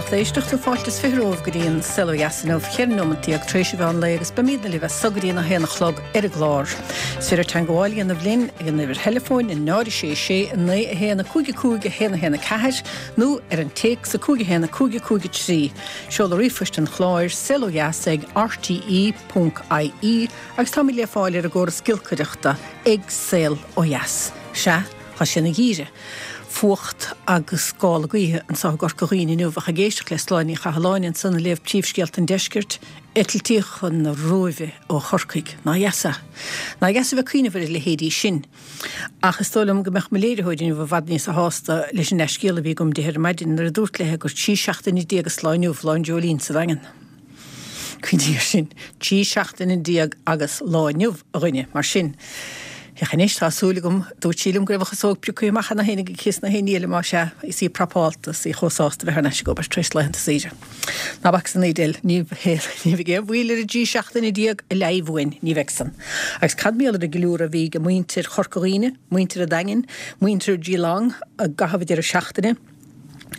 lucht éisteachta, fáilte is 20 romhaibh go dtí an Saol Ó Dheas inniu, 14 nóimeant tar éis an mheán lae agus beimidne libh as so go dtí an 1 a chlog ar an gclár. Is féidir teangmháil a dhéanamh linn ag an uimhir theileafóin 0 6 6 9 1 5 5 1 1 4 nó ar an téacs 5 1 5 5 3. Seoladh ríomhphoist an chláir, saolodheas ag rte ponc ie agus táimid le fáil ar an gcóras giolcaireachta ag Saol Ó Dheas. Sea, tá sé ina gheimhreadh. Fuacht agus gála gaoithe anseo i gCorca Dhuibhne inniu ach ag éisteacht le Sláine Ní Chathalláin ansan ag léamh príomhscéalta an deiscirt, eitiltí chun na Róimhe ó Chorcaigh. Nár dheas é? Nár dheas a bheith ag cuimhneamh ar a leithéidí sin. Ach is dóigh liom go mbeadh mo léiritheoir inniu i bhfad níosa shásta leis an leathscéal a bhí agam di ar maidin nuair a dúrt léi gur 13 seachtaine agus lá inniu lá an dreoilín sa Daingean. Cuimhnigh air sin. 13 seachtaine agus lá inniu, a dhuine. Mar sin, féach anois, tá súil agam, dúirt sí liom go raibh a chasóg pioctha amach cheana féin aici is na héinní eile, más ea, is í prapálta, is í chomh sásta bheith thar n-ais ag obair tar éis laethanta saoire. Ná bac san Edel, ní bheidh aon mhoill ar an dtrí seachtaine a leigh uainn, ní bheidh san. Agus cad mar gheall ar an gceiliúradh a bhí ag muintir Chorca Dhuibhne, muintir an Daingin, muintir Geelong i gcaitheamh an deireadh seachtaine,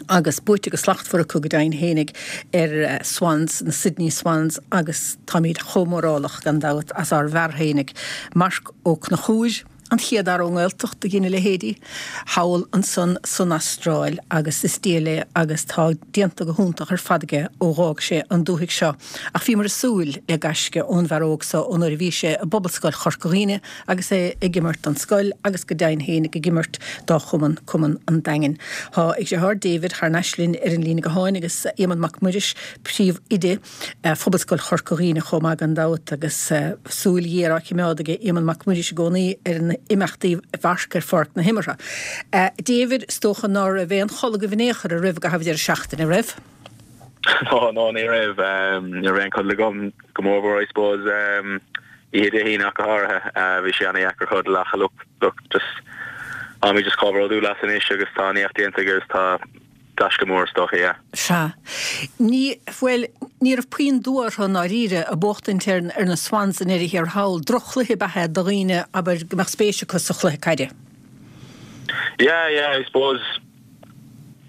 agus buaite go slachtmhar acu go deimhin fhéinig ar Swans, na Sydney Swans agus táimid chomh mórálach gan dabht as ár bhfear fhéinig, Marc Ó Conchúir, an chéad fhear ón nGaeltacht a dhein a leithéidí, thall ansan san Astráil agus is diail é agus tá déanta go hiontach ar fad aige ó dh'fhág sé an dúthaigh seo. Ach bhíomar ag súil le gaisce ón bhfear óg so ó nuair a bhí sé i bPobalscoil Chorca Dhuibhne agus é ag imirt don scoil agus go deimhin fhéinig ag imirt dá chumann, Cumann an Daingin. Tá a dheartháir David thar n-ais linn ar an líne gutháin agus Éamonn Mac Muiris, príomhoide Phobalscoil Chorca Dhuibhne chomh maith gan dabht agus súil ghéar á choimeád aige Éamonn Mac Muiris i gcónaí ar imeachtaí Mharc ar pháirc na himeartha. David, is dócha ná raibh aon chodladh agaibh in aon chor araibh i gcaitheamh deireadh seachtaine, raibh? No, no, ní raibh. Ní raibh aon codladh agam go mórmhór I suppose. Oíche Dé hAoine ach go háirithe. Bhí sé ana-dheacair codladh ach look, look, just, táimid just chomh bródúil as anois agus tá an éacht déanta aige agus tá gaisce mór is dócha, yeah. Sea. Ní, bhuel, ní raibh puinn dua orthu i ndáiríre ag buachtaint ar, ar na Swans i ndeireadh thiar thall. Droch-chluiche ab ea é do dhaoine, abair, go mbeadh spéis acu sa chluiche caide. Yeah, yeah, I suppose,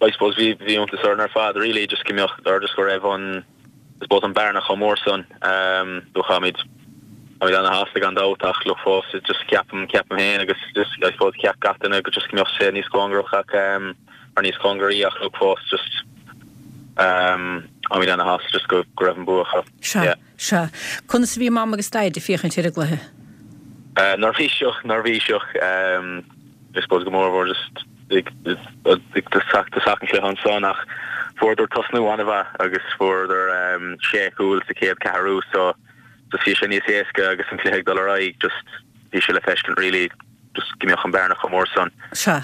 I suppose bhí, bhí iontas orainn ar fad really just go mbeadh, or just go raibh an, I suppose an bearna chomh mór san. Look táimid táimid ana-shásta gan dabht ach look fós just ceapaim ceapaim féin agus just I suppose cheap gach duine go just go mbeadh sé níos cóngarach ach or níos cóngaraí ach look fós just táimid ana-shásta just go go raibh an bua acu. Sea, Yeah. sea. Conas a bhí Mam agus Daid ag féachaint ar an gcluiche? Neirbhíseach, neirbhíseach. I suppose go mórmhór just ag tosach an chluiche ansan ach fuaireadar tosnú an-mhaith agus fuaireadar sé chúl sa chéad ceathrú so just bhí sé níos éasca agus an cluiche ag dul ar aghaidh just bhí sé le feiscint really just go mbeadh an bearna chomh mór san. Sea.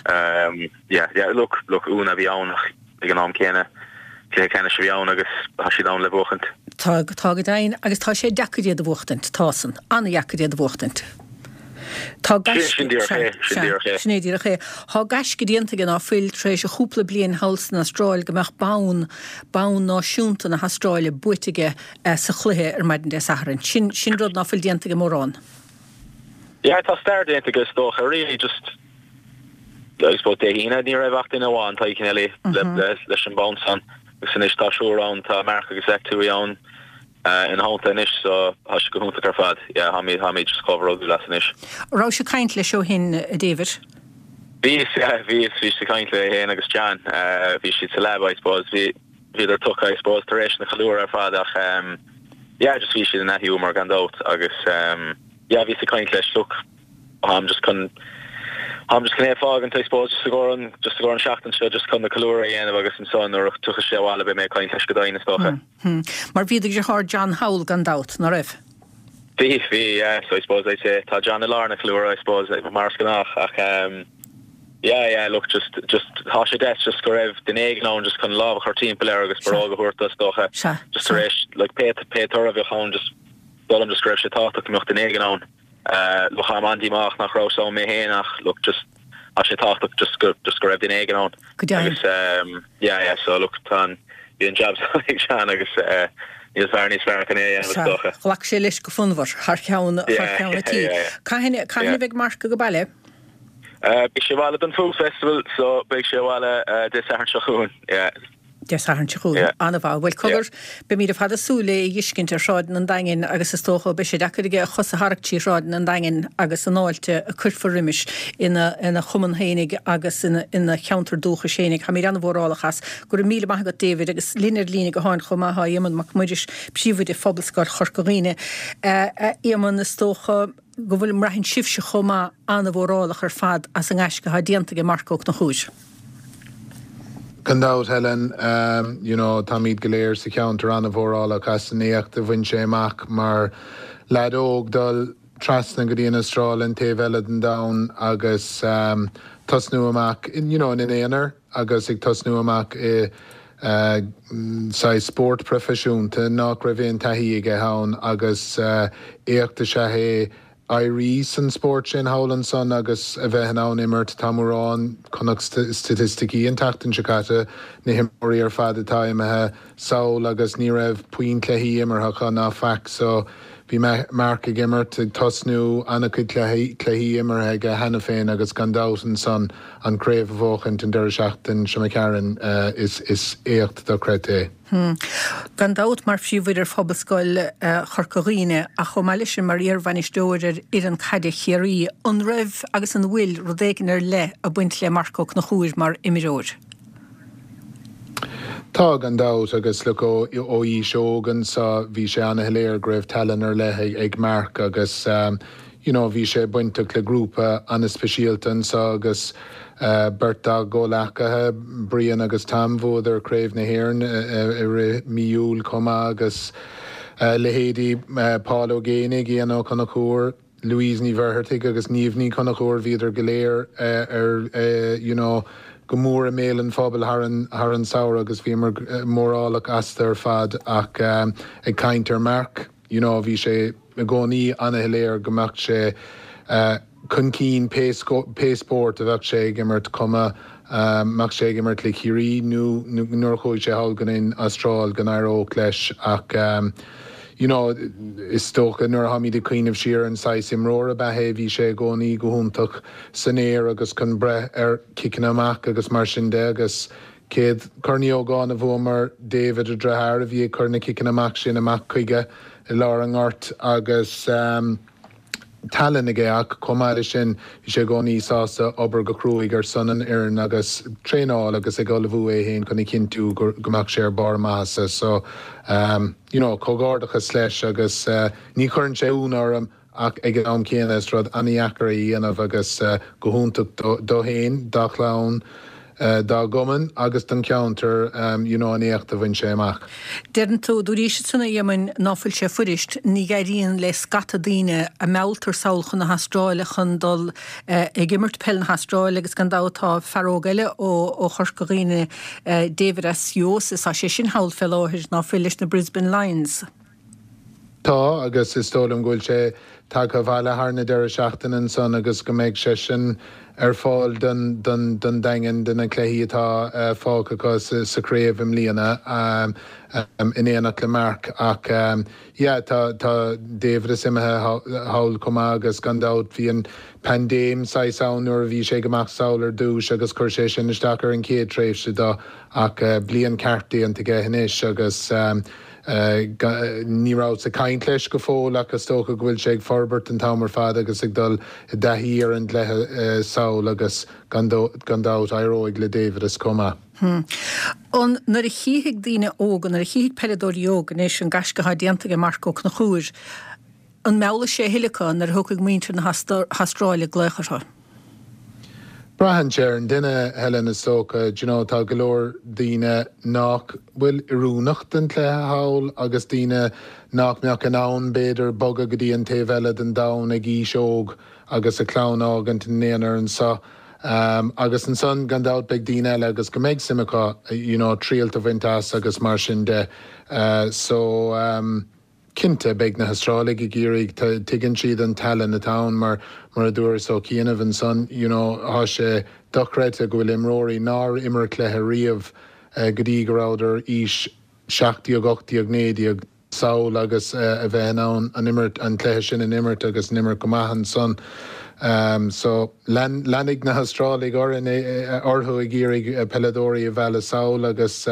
Yeah, yeah, look, look, ionadh a bhí ann ach ag an am céanna cluiche ceannais a bhí ann agus tá siad ann le buachaint. Tá, tá go deimhin agus tá sé deacair iad a bhuachtaint, tá san, an-dheacair iad a bhuachtaint. Tá gaisce, Sin díreach é, sin díreach é. Sin é díreach é. Tá gaisce déanta aige ná fuil tar éis a chúpla bliain thall san Astráil go mbeadh bonn, bonn náisiúnta na hAstráile buaite aige sa chluiche ar maidin Dé Sathairn. Sin, sin rud ná fuil déanta ag mórán. Yeah, tá stair déanta aige is dócha, really just I suppose Dé hAoine ní raibh ach duine amháin, Tadhg Kennelly, leis an bonn san agus anois tá triúr ann, tá Mark agus Zach Tuohy ann ina theannta anois so tá sé go hiontach ar fad. Yeah, táimid, táimid just chomh bródúil as anois. Rabhais ag caint leis ó shin, a David? Bhíos, yeah, bhíos, bhíos ag caint le é féin agus John, bhí siad sa leaba I suppose, bhí, bhíodar tugtha I suppose tar éis na ceiliúradh ar fad ach yeah, just bhí siad in a-ghiúmar gan dabht agus yeah, bhíos ag caint leis, look, Táim just chun táim just chun é a fágaint I suppose just i gcomhair an just i gcomhair an seachtain seo just chun na ceiliúradh a dhéanamh agus ansan nuair a tiocfaidh sé abhaile beidh mé ag caint leis go deimhin is dócha. Hmm. Mar bhí do dheartháir John thall gan dabht, ná raibh? Bhí, bhí, yeah, so I suppose I'd say tá John i lár na ceiliúradh I suppose mar is gnách ach um, yeah, yeah, look just just tá sé deas just go raibh duine éigin ann just chun lámh a chur timpeall air agus barróg a thabhairt dó is dócha Sea, just tar éis like pé pé toradh a bheadh ann just dóigh liom just go raibh sé tábhachtach go mbeadh duine éigin ann. Look táim an-díomách nach rabhas ann mé féin ach look just tá sé tábhachtach just go just go raibh duine éigin ann. Go deimhin. Agus ehm yeah yeah so look tá an bhí an jab san ag Seán agus eh níl fear níos fearr chun é a dhéanamh is Sea, dócha. ghlac sé leis go fonnmhar thar cheann thar Yeah cheann an yeah tí. yeah yeah. Cathain cathain Yeah. a bheidh Mark ag baile? Eh beidh sé abhaile don Food Festival so beidh sé abhaile eh Dé Sathairn seo chugainn yeah. Dé Sathairn seo chugainn. An-mhaith. Bhuel, cogar, beimid ar fad ag súil le é a dh'fheiscint ar shráideanna an Daingin agus is dócha beidh sé deacair aige a chos a tharrac trí shráideanna an Daingin agus an fháilte a cuirfear roimis ina ina chumann fhéinig agus ina ina cheantar dúchais fhéinig. Táimid an-mhórálach as. Go raibh míle maith agat David agus linn ar líne gutháin chomh maith tá Éamonn Mac Muiris, Príomhoide Phobalscoil Chorca Dhuibhne. A Éamonn, is dócha go bhfuil, mbraitheann sibhse chomh maith an-mhórálach ar fad as an ngaisce atá déanta ag Marc Ó Conchúir. Gan dabht, Helen, you know, táimid go léir sa cheantar an-mhórálach as an éacht a bhain sé amach mar leaid óg dul trasna go dtí an Astráil, an taobh eile den domhan agus tosnú amach, you know, ina aonar agus ag tosnú amach i saghas spórt proifisiúnta nach raibh aon taithí aige ann agus éacht is ea é éirí san spórt sin thall ansan agus a bheith in ann imirt. Tá mórán, chonac staitisticí an tseachtain seo caite, na himreoirí ar fad atá imithe sall agus ní raibh puinn cluichí imeartha acu ná faic so bhí Marc ag imirt, ag tosnú, an-chuid cluichí imeartha aige cheana féin agus gan dabht ansan an craobh a bhuachaint an deireadh seachtain seo imigh tharainn is éacht dochreidte é. Gan dabht, mar phríomhoide ar Phobalscoil Chorca Dhuibhne, ach chomh maith leis sin mar iar-bhainisteoir ar fhoireann caide Chiarraí, an raibh agus an bhfuil rud éigin ar leith ag baint le Marc Ó Conchúir mar imreoir? Tá, gan dabht, agus look, ó aois óg anso bhí sé ana-shoiléir go raibh tallann ar leith ag Marc agus you know bhí sé bainteach le grúpa ana-speisialta anso agus beirt dá gcomhleacaithe, Brian agus Tom, bhuadar Craobh na hÉireann i rith mí Iúil chomh maith agus leithéidí Paul Ó Géibheannaigh, Ian Ó Conchúir, Louise Ní Mhuircheartaigh agus Niamh Ní Chonchúir, bhíodar go léir ar you know go mór i mbéal an phobail thar an thar an samhradh agus bhíomar mórálach astu ar fad ach ag caint ar Marc, You know bhí sé i gcónaí ana-shoiléir go mbeadh sé chun cinn pé pé spórt a bheadh sé ag imirt, cuma mbeadh sé ag imirt le Ciarraí nó nuair a chuaigh sé thall go an Astráil go n-éireodh leis ach you know is dócha nuair a tháimid ag cuimhneamh siar ar an saghas imreoir ab ea é bhí sé i gcónaí go hiontach san aer agus chun breith ar chiceanna amach agus mar sin de agus Céad Corn Uí Ógáin a bhuamar, David a dheartháir a bhí ag cur na ciceanna amach sin amach chuige i lár an ghoirt agus tallann aige ach chomh maith leis sin bhí sé i gcónaí sásta obair go cruaidh ar son an fhoireann agus traenáil agus ag ullmhú é féin chun a chinntiú go mbeadh sé ar barr a maitheasa so you know comhghairdeachas leis agus ní chuireann sé ionadh orm Ach ag an am céanna is rud an-dheacair é a dhéanamh agus go hiontach dó féin, dá chlann, dá gcumann agus don cheantar you know an éacht a bhain sé amach. Deireann tú, dúraís ansan a Éamoinn, ná fuil sé fuirist, ní éiríonn le scata daoine a mealltar sall chun na hAstráile chun dul ag imirt peil na hAstráile agus gan dabht tá fear óg eile ó Chorca Dhuibhne, David Asiosis, tá sé sin thall fé láthair, ná fuil, leis na Brisbane Lions. Tá, agus is dóigh liom go bhfuil sé tagtha abhaile thar na deireadh seachtaine ansan agus go mbeidh seisean ar fáil don don Daingean do na cluichí atá fágtha acu sa chraobh i mbliana in éineacht le Marc. Ach yeah, tá tá David is imithe thall chomh maith agus gan dabht bhí an paindéim saghas ann nuair a bhí sé ag imeacht sall ar dtús agus chuir sé sin isteach ar an chéad tréimhse dó ach bliain ceart déanta aige anois agus Ní rabhas ag caint leis go fóill ach is dócha go bhfuil sé ag forbairt an t-am ar fad agus ag dul i dtaithí ar an gcluiche sall agus gan dabht éireoidh le David is chomh maith. An nuair a chífidh daoine óga, nuair a chífidh peileadóirí óga anois an gaisce atá déanta ag Marc Ó Conchúir, An meallfaidh sé a thuilleadh acu nuair a thiocfaidh muintir na hAstráile ag glaoch orthu? Braitheann sé ar an duine, Helen, is dócha. Do you know, tá go leor daoine nach bhfuil oiriúnach don chluiche thall agus daoine nach mbeadh in ann, b'fhéidir, bogadh go dtí an taobh eile den domhan ag aois óg agus a clann a fhágaint ina n-aonar anseo. Agus ansan, gan dabht, beidh daoine eile agus go mbeidh suim acu, you know, triailt a bhaint as agus mar sin de. So. Cinnte, beidh na hAstrálaigh ag iarraidh, tuigeann siad an tallann atá ann mar, mar a dúras ó chianaibh ansan, you know, tá sé dochreidte go bhfuil imreoirí nár imir cluiche riamh go dtí go rabhadar aois 17, 18, 19. sall agus a bheith in ann an imirt, an cluiche sin an imirt agus an imirt go maith ansan. So leanfaidh na hAstrálaigh orainn, orthu ag iarraidh peileadóirí a mhealladh sall agus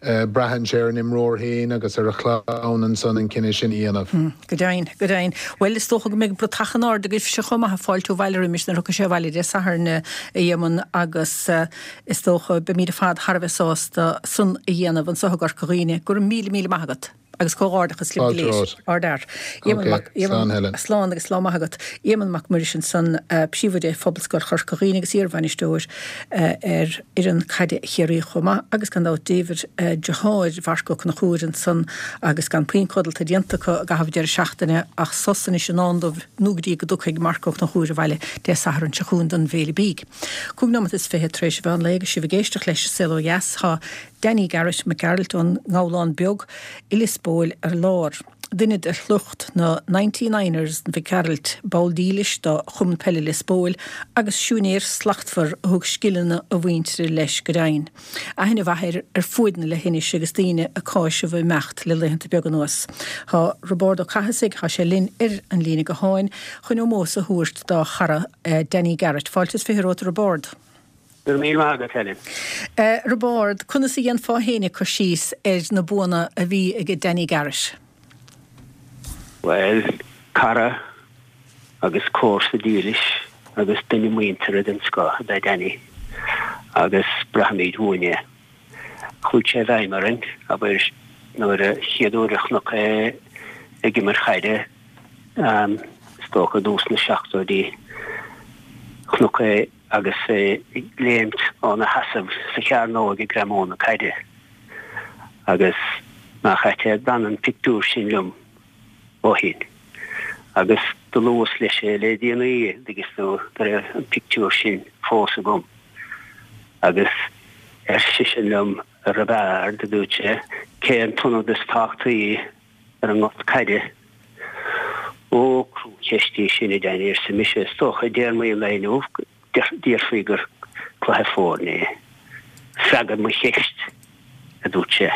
braitheann sé ar an imreoir féin agus ar a chlann ansan an cinneadh sin a dhéanamh. Go deimhin, go deimhin. Bhuel, is dócha go mbeidh bratach in airde agaibhse chomh maith ag fáiltiú abhaile roimis nuair a thiocfaidh sé abhaile Dé Sathairn, a Éamoinn, agus is dócha beimid ar fad thar a bheith sásta san a dhéanamh anso i gCorca Dhuibhne. Go raibh míle, míle maith agat agus comhghairdeachas libh go léir. Ardfhear. Éamonn Mac, Slán Helen. Slán agus lá maith agat. Éamonn Mac Muiris ansan, Príomhoide Phobalscoil Chorca Dhuibhne agus iarbhainisteoir ar fhoireann caide Chiarraí chomh maith agus gan dabht David, deartháir Mharc Ó Conchúir ansan agus gan puinn codlata déanta acu i gcaitheamh an deireadh seachtaine ach sos anois i ndán dóibh nó go dtí go dtiocfaidh Marc Ó Conchúir abhaile Dé Sathairn seo chugainn don bhFéile Bídh. 5 nóimeat is 20 tar éis an mheán lae agus sibh ag éisteacht leis An Saol Ó Dheas tá Danny Garrett Mac Gearailt ón nGabhlán Beag i Lios Póil ar lár. Duine de shliocht na Ninety Niners Mhic Gearailt, ball dílis do Chumann Peile Lios Póil agus siúinéir slachtmhar a thug scileanna a mhuintire leis go deimhin. Aithne mhaith air ar fuaid na leithinise agus daoine ag cáiseamh a imeacht le laethanta beaga anuas. Tá Roibeárd Ó Cathasaigh, tá sé linn ar an líne gutháin chun ómós a thabhairt dá chara Danny Garrett. Fáilte is 20 romhat a Roibeárd. Go raibh míle maith agat, Helen. A Roibeárd, conas a dhéanfá fhéinig cur síos ar na buanna a bhí ag Danny Garrett? Bhuel, cara agus comharsa dílis agus duine muinteartha den scoth ab ea Danny agus braithimid uainn é. Chuaigh sé i bhfeidhm orainn, abair, nuair a chéad uair a chonac é ag imirt chaide, is dócha i dtús na seachtóidí, chonac é agus é ag léimt óna sheasamh sa chearnóg ag greamú na caide. Agus nach ait é, d'fhan an pictiúr sin liom ó shin. Agus do luas leis é le déanaí, an dtuigeann tú, go raibh an pictiúr sin fós agam. Agus ar seisean liom, A Roibeaird, a dúirt sé, cé an t-ionad is tábhachtaí ar an ngort caide. Ó, cruacheist í sin, a Danny, arsa mise, is dócha, i dtéarmaí an lae inniu, déarfaí gur cluiche foirne é. Freagair mo cheist, a dúirt sé.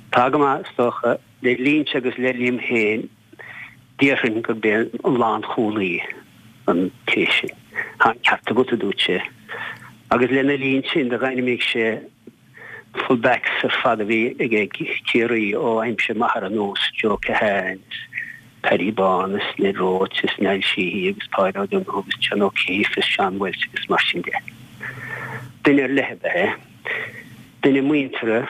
Tá go maith, is dócha, le linnse agus le liom féin, déarfainn gurb é an lánchúlaí an té sin. Tá an ceart agat, a dúirt sé. Agus lena linn sin, d'ainmnigh sé Full backs ar fad a bhí ag Ciarraí ó aimsir m'athar anuas, Joe Keohane is Paddy Bán is Ned Roche is Niall Sheehy agus Páid O'Donoghue agus John O'Keeffe is Seán Walsh agus mar sin de. Duine ar leith ab ea é. Duine muinteartha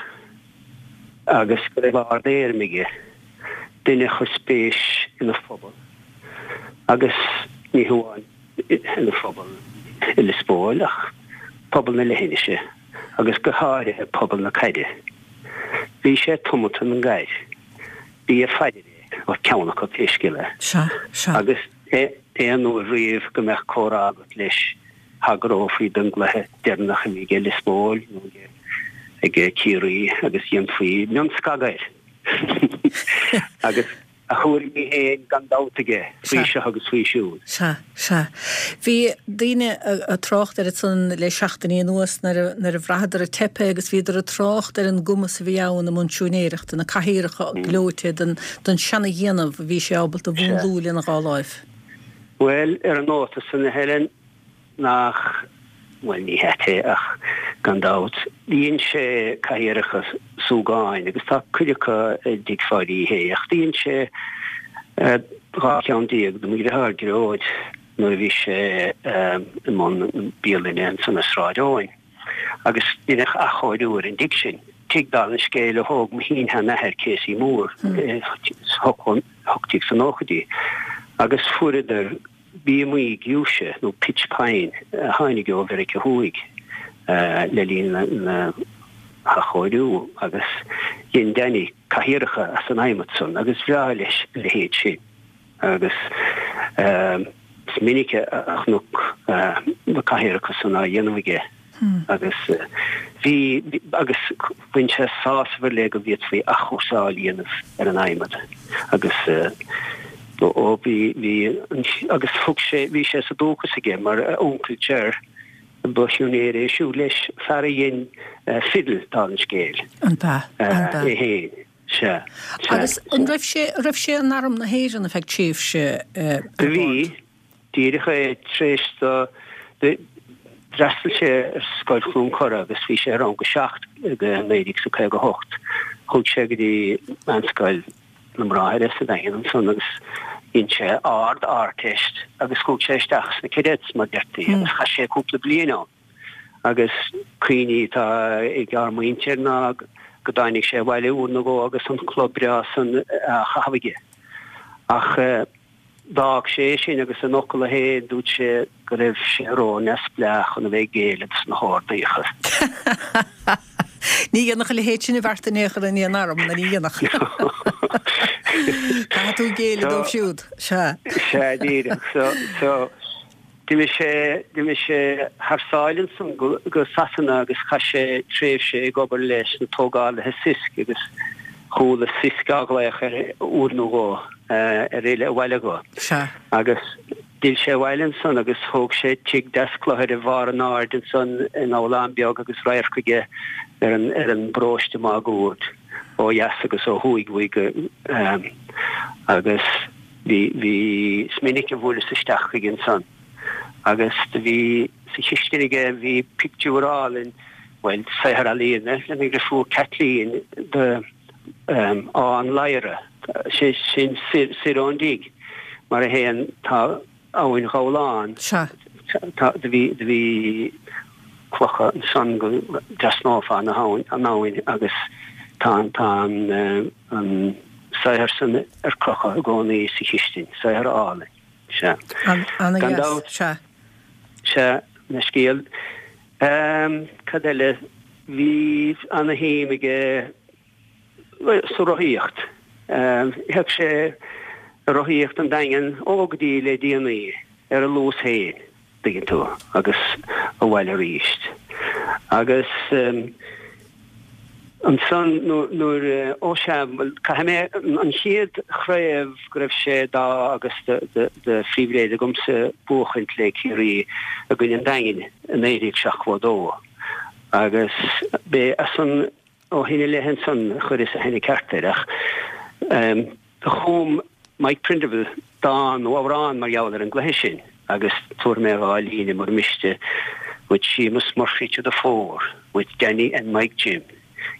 agus go raibh ard-éirim aige. Duine a chuir spéis ina phobal agus ní hamháin ina phobal i Lios Póil ach pobal na leithinise. agus go háirithe pobal na caide. Bhí sé tiomanta don gcaid. B'í a phaidir é, nó ceann acu pé scéal é. Sea, sea. Agus aon uair riamh go mbeadh comhrá agat leis, thagrófaí don gcluiche deireanach a bhí aige Lios Póil nó aige Ciarraí agus dhéanfaí mionscagadh air. Agus a thuairimí féin gan dabht aige faoi seo agus faoi siúd. Sea, sea. Bhí daoine ag trácht air ansan le seachtainí anuas nuair a, nuair a bhraitheadar ag teipeadh agus bhíodar ag trácht ar an gcumas a bhí ann i mbun siúinéireachta, na cathaoireacha gleoite den, den seana-dhéanamh a bhí sé ábalta a mhúnlú lena dhá láimh. Bhuel, ar an nóta san, a Helen, Nach, bhuel, ní hait é ach gan dabht, dhein sé cathaoireacha súgáin agus tá cuid acu i dTigh Pháidí Uí Shé ach dhein sé 12 cheann do mo dheartháir Gearóid nuair a bhí sé i mbun na bialainne ansan i Sráid Eoin agus deineadh athchóiriú ar an dtigh sin, tigh dála an scéil a thóg mo shin-sheanathair Casey Moore sna 1890idí agus fuaireadar bíomaí giúise nó pitch pine a tháinig ó Mheiriceá Thuaidh le linn na hathchóiriú agus dhein Danny cathaoireacha as an adhmad san agus bhreá leis a leithéid sin agus is minic a chonac na cathaoireacha san á dhéanamh aige. Agus bhí, agus bhain sé sásamh ar leith go bhféadfaí athchúrsáil a dhéanamh ar an adhmad agus ó bhí, bhí, agus thug sé, bhí sé sa dúchas aige mar a uncail Ger, ba shiúinéir é siúd leis, fear a dhein fidil, dála an scéil. An b'ea? An b'ea? É féin. Sea. Sea. Agus an raibh sé, raibh sé in Arm na hÉireann ar feadh tréimhse, a Do bhí, díreach é tar éis do, d'fhreastail sé ar Scoil Chluain Cora agus bhí sé i rang a 7 i 1958. Chuaigh sé go dtí Meánscoil na mBráithre sa Daingean ansan agus dhein sé Ard-Ardteist agus chuaigh sé isteach sna Cadets mar deirtí agus chaith sé cúpla bliain ann. Agus cuimhní atá ag ár muintir ná go dtáinig sé abhaile uair nó dhó agus an culaith breá san á chaitheamh aige. Ach d'fhág sé é sin agus ina fhocal féin dúirt sé go raibh sé ró-neamhspleách chun a bheith ag géilleadh dos na hordaíocha. Ní dhéanfadh a leithéid sin de bheart in aon chor in aon arm, ná ní dhéanfadh. Caithfidh tú géilleadh dóibh siúd. Sea. Sea, díreach. So, so, D'imigh sé, d'imigh sé thar sáile ansan go, go Sasana agus chaith sé tréimhse ag obair leis na tógálaithe Sisk agus chuala Sisk á ghlaoch air uair nó dhó ar fhilleadh abhaile dhó. Sea. Agus d'fhill sé abhaile ansan agus thóg sé tigh deas cluthair i bharr an aird ansan i nGabhlán Beag agus radharc aige ar an, ar an bparóiste máguaird ó dheas agus ó thuaidh uaidh go, agus. Bhí, bhí, is minic a bhuaileas isteach chuige ansan agus do bhí sa chistin aige, bhí pictiúr álainn, bhuel, saothar ealaíne lena dhriofúr Kathleen de Áth an Ladhra, sé sin soir, soir ón dtigh mar a théann, tá abhainn Ghabhláin, Sea. tá, do bhí, do bhí clocha ansan go dtrasnófá na habhainn, an abhainn agus tá an, tá an, an saothar san ar crochadh i gcónaí sa chistin, saothar álainn. Sea. Gan dabht. Sea. Sea, na scéal. Cad eile? Bhí ana-shuim aige sa rothaíocht. Théadh sé ag rothaíocht an Daingean ó go dtí le déanaí ar a luas féin. dtuigeann tú, agus abhaile aríst. Agus ansan nuair, ó sea, bhuel, caithfidh mé, an chéad chraobh go raibh sé d'ádh agus de phribhléid agamsa buachaint le Ciarraí i gcoinne an Daingin i 1972 agus b'é as san ó shin i leith ansan a chuireas aithne ceart air ach do chum Mike Prindiville dán nó amhrán mar gheall ar an gcluiche sin agus tabharfaidh mé dha líne mura miste, With Seamus Murphy to the fore, with Danny and Mike Jim,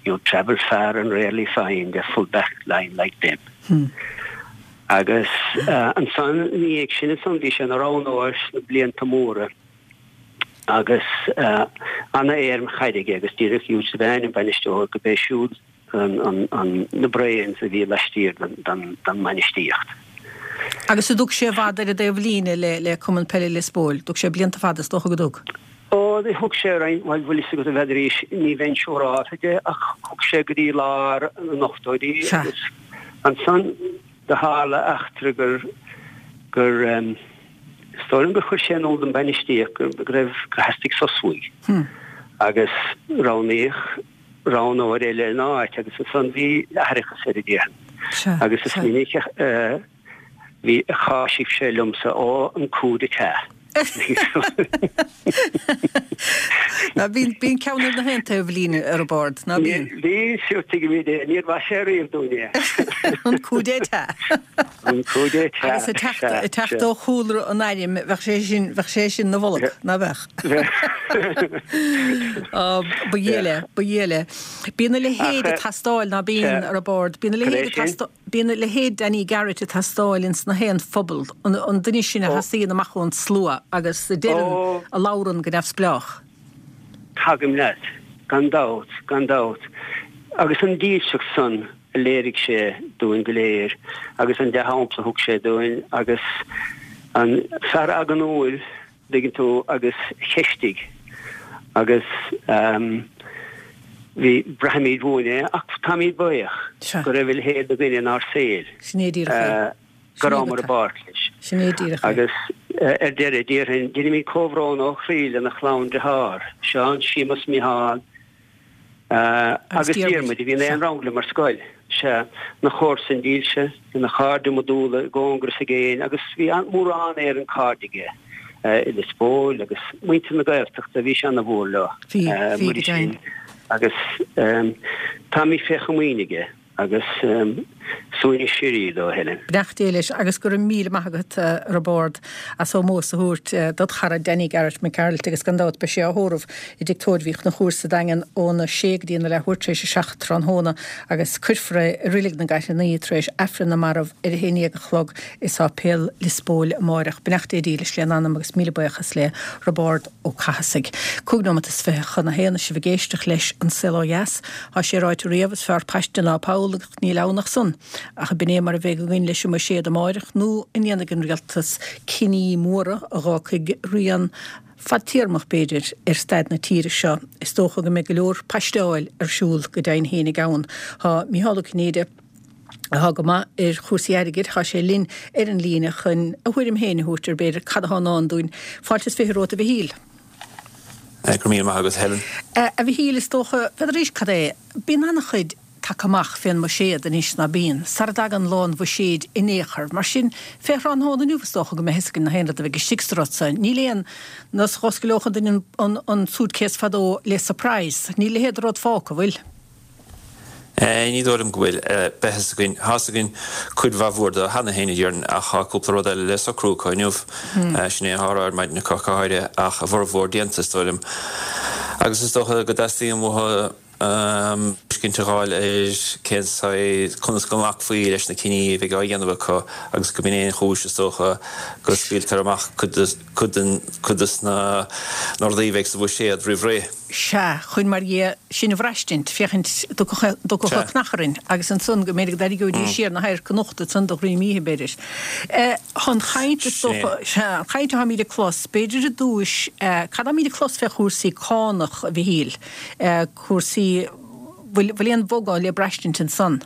you'd travel far and rarely find a full back line like them. Agus ansan ina dhiaidh sin ansan bhí sé ina roghnóir sna blianta móra agus ana-éirim chaide aige agus díreach Hugh Devane an bainisteoir go b'é siúd na brains a bhí laistiar den mbainistíocht. Agus an dtug sé i bhfad ar an dtaobh líne le Cumann Peile Lios Póil? Dtug sé blianta fada is dócha go dtug? Ó, thug sé roinnt, bhuel, bhfuil fhios agat a bhead arís, ní bheinn siúrálta de ach thug sé go dtí lár na n-ochtóidí agus ansan do tharla eachtra gur, gur, Is dóigh liom gur chuir sé in iúl don bhainistíocht go raibh, gur theastaigh sos uaidh agus roghnaíodh roghnóir eile ina áit agus ansan bhí aithreachas air a déarfainn. Agus is minic a bhí, a cháisigh sé liomsa, ó, an coup d'état. Ná bíonn, bíonn ceann ar na haon taobh líne ar an bord, ná bíonn? Bhí, sure tuigimid é, níor mhaith sé riamh dúinn é. An coup d'état. An coup d'état. Agus ag teacht, ag teacht ó chúlra an airm, bheadh sé sin, bheadh sé sin 'na bholg, ná beadh? Á, ba dhiail é, ba dhiail é. Bíonn a leithéid ag teastáil, ná bíonn, a Roibeárd? Bíonn a leithéid ag teastáil. Bíonn a leithéid Danny Garrett ag teastáil ins na haon phobal, an duine sin a sheasaíonn amach ón slua agus a deireann, a labhrann go neamhspleách. Tagaim leat, gan dabht, gan dabht. Agus an dílseacht san a léirigh sé dúinn go léir agus an dea-shampla a thug sé dúinn agus an fear eagnúil, dtuigeann tú, agus cheistigh agus bhí, braithimid uainn é ach táimid buíoch go raibh a leithéid de dhuine inár saol. Sin é díreach é. Go rabhamar i bpáirt leis. Sin é díreach é. Agus ar deireadh, déarfainn, deinimid comhbhrón ó chroí lena chlann dearthár, Seán, Séamus, Micheál, Agus Diarmuid, a bhí in aon rang liom ar scoil. Sea, ina chomharsain dílse, ina chairde iomadúla i gcóngar is i gcéin agus bhí mórán Éireann cairde aige i Lios Póil agus muintir na Gaeltachta, bhí sé ana mhór leo. Bhí, bhí go deimhin. Agus táimid fé chomaoin aige. Agus suaimhneas síoraí dó, a Helen. Beannacht Dé leis agus go raibh míle maith agat, a Roibeárd, as ómós a thabhairt dod chara Danny Garrett Mac Gearailt agus gan dabht beidh sé á thórramh i dTigh Tórraimh Uí Chonchúir sa Daingean óna sé go dtí na leathuair tar éis a 7 tráthnóna agus cuirfear é i Reilig na gCaithleannaí tar éis Aifreann na Marbh ar a haon dhéag a chlog i Sáipéal Lios Póil amáireach. Beannacht Dé dílis lena anam agus míle buíochas le Roibeárd Ó Cathasaigh. Cúig nóimeat is fiche chun a haon is sibh ag éisteacht leis An Saol Ó Dheas. Tá sé ráite riamh, is fearr paiste ná poll agus níl ann ach san. Ach ab in é mar a bheidh againn leis an mbuiséad amáireach nó an ndéanfaidh an rialtas cinní móra a dh'fhágfaidh rian fadtéarmach b'fhéidir ar staid na tíre seo? Is dócha go mbeidh go leor paisteáil ar siúl go deimhin fhéinig ann. Tá Mícheál Ó Cinnéide, atá go maith ar chúrsaí airgid, tá sé linn ar an líne chun a thuairim féin a thabhairt ar b'fhéidir cad atá i ndán dúinn. Fáilte is fiche romhat a Mhichíl. Go raibh míle maith agat, Helen. A Mhichíl, is dócha, n'fheadar arís cad é, bíonn an-chuid tagtha amach fén mbuiséad anois ná bíonn, sara dtagann lá an bhuiséid in aon chor. Mar sin, fé thráthnóna inniu is dócha go mbeidh fhios againn na haon rud a bheidh istigh sa rud san. Níl aon nós dh'oscaileodh an duine an suitcase fadó le surprise. Níl a leithéid de rud fágtha, bhfuil? Ní dóigh liom go bhfuil. Beidh fhios againn. Tá fhios againn cuid mhaith mhór de cheana féin, a déarfainn, ach tá cúpla rud eile le socrú acu inniu. Sin é atá á rá ar maidin acu, go háirithe, ach a bhformhór déanta, is dóigh liom. Agus is dócha go dteastaíonn uathu tuiscint a dh'fháil ar cén saghas, conas go nglacfaí leis na cinní a bheidh á dhéanamh acu agus go b'in é an chúis, is dócha, go scaoiltear amach cuid den, cuid de na rudaí a bheidh sa bhuiséad roimh ré. Sea, chun mar dhea sinn a bhraistint, féachaint dtiocfadh an cnach orainn, agus ansan go mb'fhéidir go dtarraingeoidís siar na hadhairc anocht ansan de dhroim oíche, b'fhéidir. An chaint, is dócha, sea, an chaint atáimid ag clos, b'fhéidir i dtúis, cad atáimid ag clos fé chúrsaí cánach, a Mhichíl, cúrsaí, bhfuil, bhfuil aon bhogadh le braistint ansan?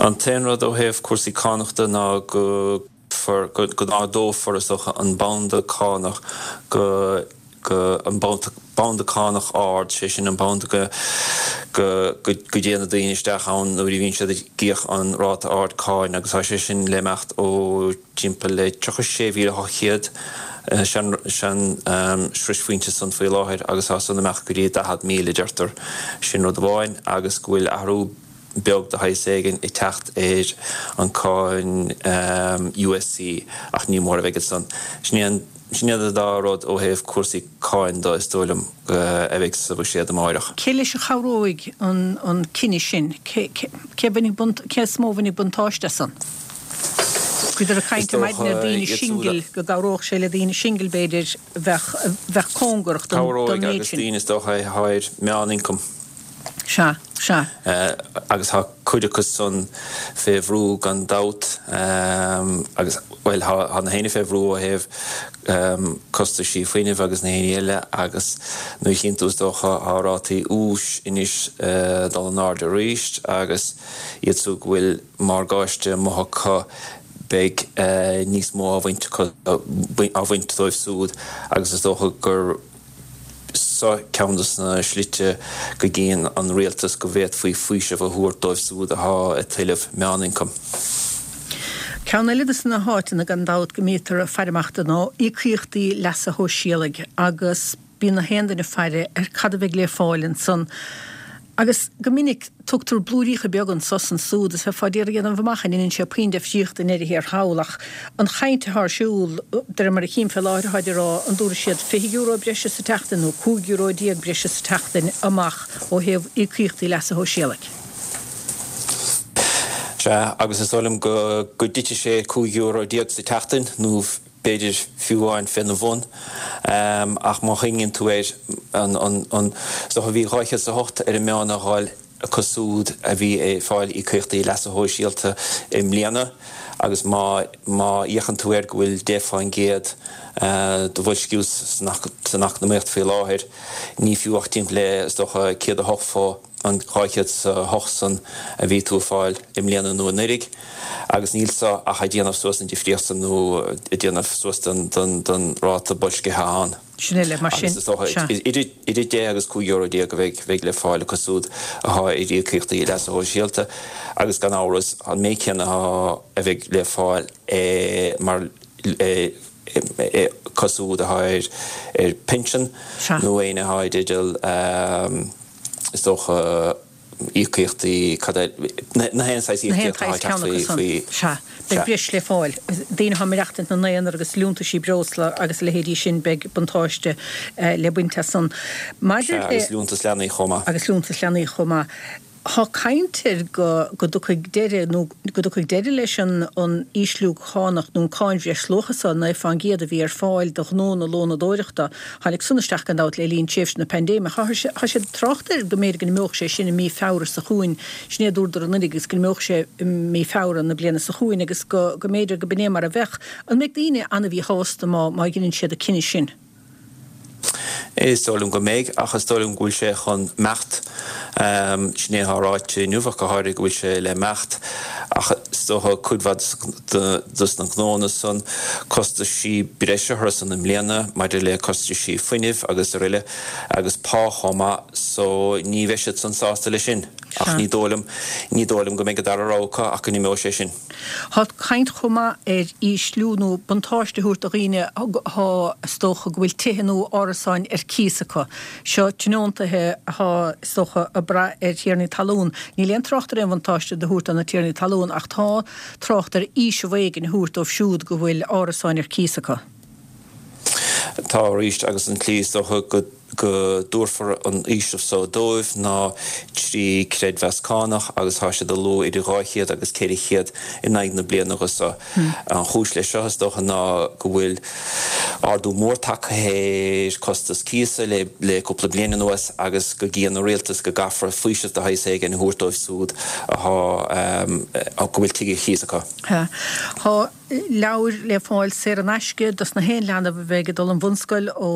An t-aon rud ó thaobh cúrsaí cánach de ná go. go n-ardófar, is dócha, an banda cánach go, go, an banda cánach ard, sé sin an banda go, go, go dtéann na daoine isteach ann nuair a bhíonn siad ag íoc an ráta ard cáin agus tá sé sin le imeacht ó timpeall le 36,800 sean, sean sroichphointe san faoi láthair agus tá san imeacht go dtí 40,000 a deirtear. Sin rud amháin agus go bhfuil athrú beag de shaghas éigin ag teacht ar an cáin USC ach ní mór a bheidh ansan. Sin é sin iad an dá rud ó thaobh cúrsaí cáin de is dóigh liom a bheidh sa bhuiséad amáireach. Cé leis a chabhróidh an cinneadh sin? Cé cé bhainfidh cé is mó a bhainfidh buntáiste as san? Bhíodar ag Is caint ar maidin dócha ar daoine iad siúd singil a. go gcabhródh sé le daoine singil b'fhéidir a bheadh a bheadh cóngarach don don Cabhróidh méid agus sin. daoine is dócha atá ar meán-ioncam. Sea, sea. Agus tá cuid acu san fé bhrú gan dabht agus, bhuel, tá na héinne fé bhrú ó thaobh costaisí fuinnimh agus na héinní eile agus nuair a chíonn tú is dócha tá rátaí úis anois dul in airde arís agus iad siúd go bhfuil morgáiste amuigh acu beidh níos mó á bhaint acu, á bhaint dóibh siúd agus is dócha gur Seo ceann de na slite go gcíonn an rialtas go bhféadfaí faoiseamh a thabhairt dóibh siúd atá ag tuilleamh meánioncam. Ceann eile de na háiteanna gan dabht go mbítear ag faire amach do ná íocaíochtaí leasa shóisialaigh agus bíonn na haon duine ag faire ar cad a bheidh le fáil ansan. Agus go minic tugtar blúiríocha beaga anso 's ansúd is bheifeá d'iarraidh a dhéanamh amach an ndeineann sé puinn deifríochta i ndeireadh thiar thall ach an chaint atá ar siúl, de réir mar a chím fé láthair, táid ag rá an dtabharfaidh siad €20 breise sa tseachtain nó €15 breise sa tseachtain amach ó thaobh íocaíochtaí leasa shóisialaigh. Sea, agus is dóigh liom go dtitfidh sé €15 sa tseachtain nó b'fhéidir fiú amháin féna bhun, ach má chuimhníonn tú air, an, an, is dócha bhí 208 ar an meán á dh'fháil acu súd a bhí ag fáil íocaíochtaí leasa shóisialta i mbliana agus má, má fhéachann tú air go bhfuil 10% de bhoilsciú san, san eacnamaíocht faoi láthair, ní fiú ach timpeall le, is dócha, 108 fá. an 208 san a bhí tú ag fáil i mbliana nó anuiridh, agus níl so ach ag déanamh suas an difríocht san nó ag déanamh suas don ráta boilscithe ann. Sin uile, mar sin, Agus is dócha sea. idir 10 agus 15 euro a bheidh bheidh le fáil acu súd athá ar íocaíochtaí leasa shóisialta agus gan amhras an méid céanna athá a bheidh le fáil mar acu súd athá ar ar pinsean Sea. nó éinne athá i dteideal Is dócha. Íocaíochtaí, cad é, na haon saghas Na haon íocaíocht atá saghas ag teacht ceann acu faoi, san. faoi, Sea. Beidh sea. breis le fáil. Daoine atá ag maireachtaint ina n-aonar agus liúntaisí breosla agus a leithéidí sin, beidh buntáiste le baint as san. Maidir Sea, le. agus liúntas leanaí chomh maith. Agus liúntas leanaí chomh maith. Tá caint ar go go dtiocfaidh deireadh nó go dtiocfaidh deireadh leis an an ísliú cánach nó an cáin bhreisluacha so, 9% a bhí ar fáil do ghnónna lónadóireachta. Tháinig san isteach gan dabht le linn tréimhse na paindéime. Tá sé ag trácht air go mb'fhéidir go n-imeodh sé sin i mí Feabhra seo chugainn, sin é a dúradar anuraidh agus go n-imeodh sé i mí Feabhra na bliana seo chugainn agus go go mb'fhéidir go b'in é mar a bheadh. An mbeidh daoine an-mhíshásta má má dheineann siad an cinneadh sin? Is dóigh liom go mbeidh, ach is dóigh liom go bhfuil sé chun imeacht. Sin é atá ráite inniu ach go háirithe go bhfuil sé le imeacht. Ach is dócha cuid mhaith dos na gnóanna san, costaisí breise orthu san i mbliana maidir le costaisí fuinnimh agus aroile agus pá chomh maith so ní bheidh siad san sásta leis sin. Ach ní dóigh liom, ní dóigh liom go mbeidh an dara rogha acu ach go n-imeoidh sé sin. Tá caint chomh maith ar ísliú nó buntáiste a thabhairt do dhaoine atá, is dócha, go bhfuil tithe nó árasáin ar cíos acu. Seo tionóntaithe atá, is dócha, ag brath ar thiarnaí talún. Níl aon trácht ar aon bhuntáiste do thabhairt do na tiarnaí talún ach tá trácht ar fhaoiseamh éigin a thabhairt dóibh siúd go bhfuil árasáin ar cíos acu. Tá arís agus an tslí is dócha go. go dtabharfar an fhaoiseamh so dóibh ná trí creidmheas cánach agus tá siad ag lua idir 200 agus 400 in aghaidh na bliana dho so. An chúis leis seo is dócha ná go bhfuil ardú mór tagtha ar costas cíosa le le cúpla bliain anuas agus go gcíonn an rialtas go gcaithfear faoiseamh de shaghas éigin a thabhairt dóibh súd athá go bhfuil tigh ar chíos acu. Tá. leabhair le fáil saor in aisce dos na haon leanbh a bheidh ag dul an bhunscoil ó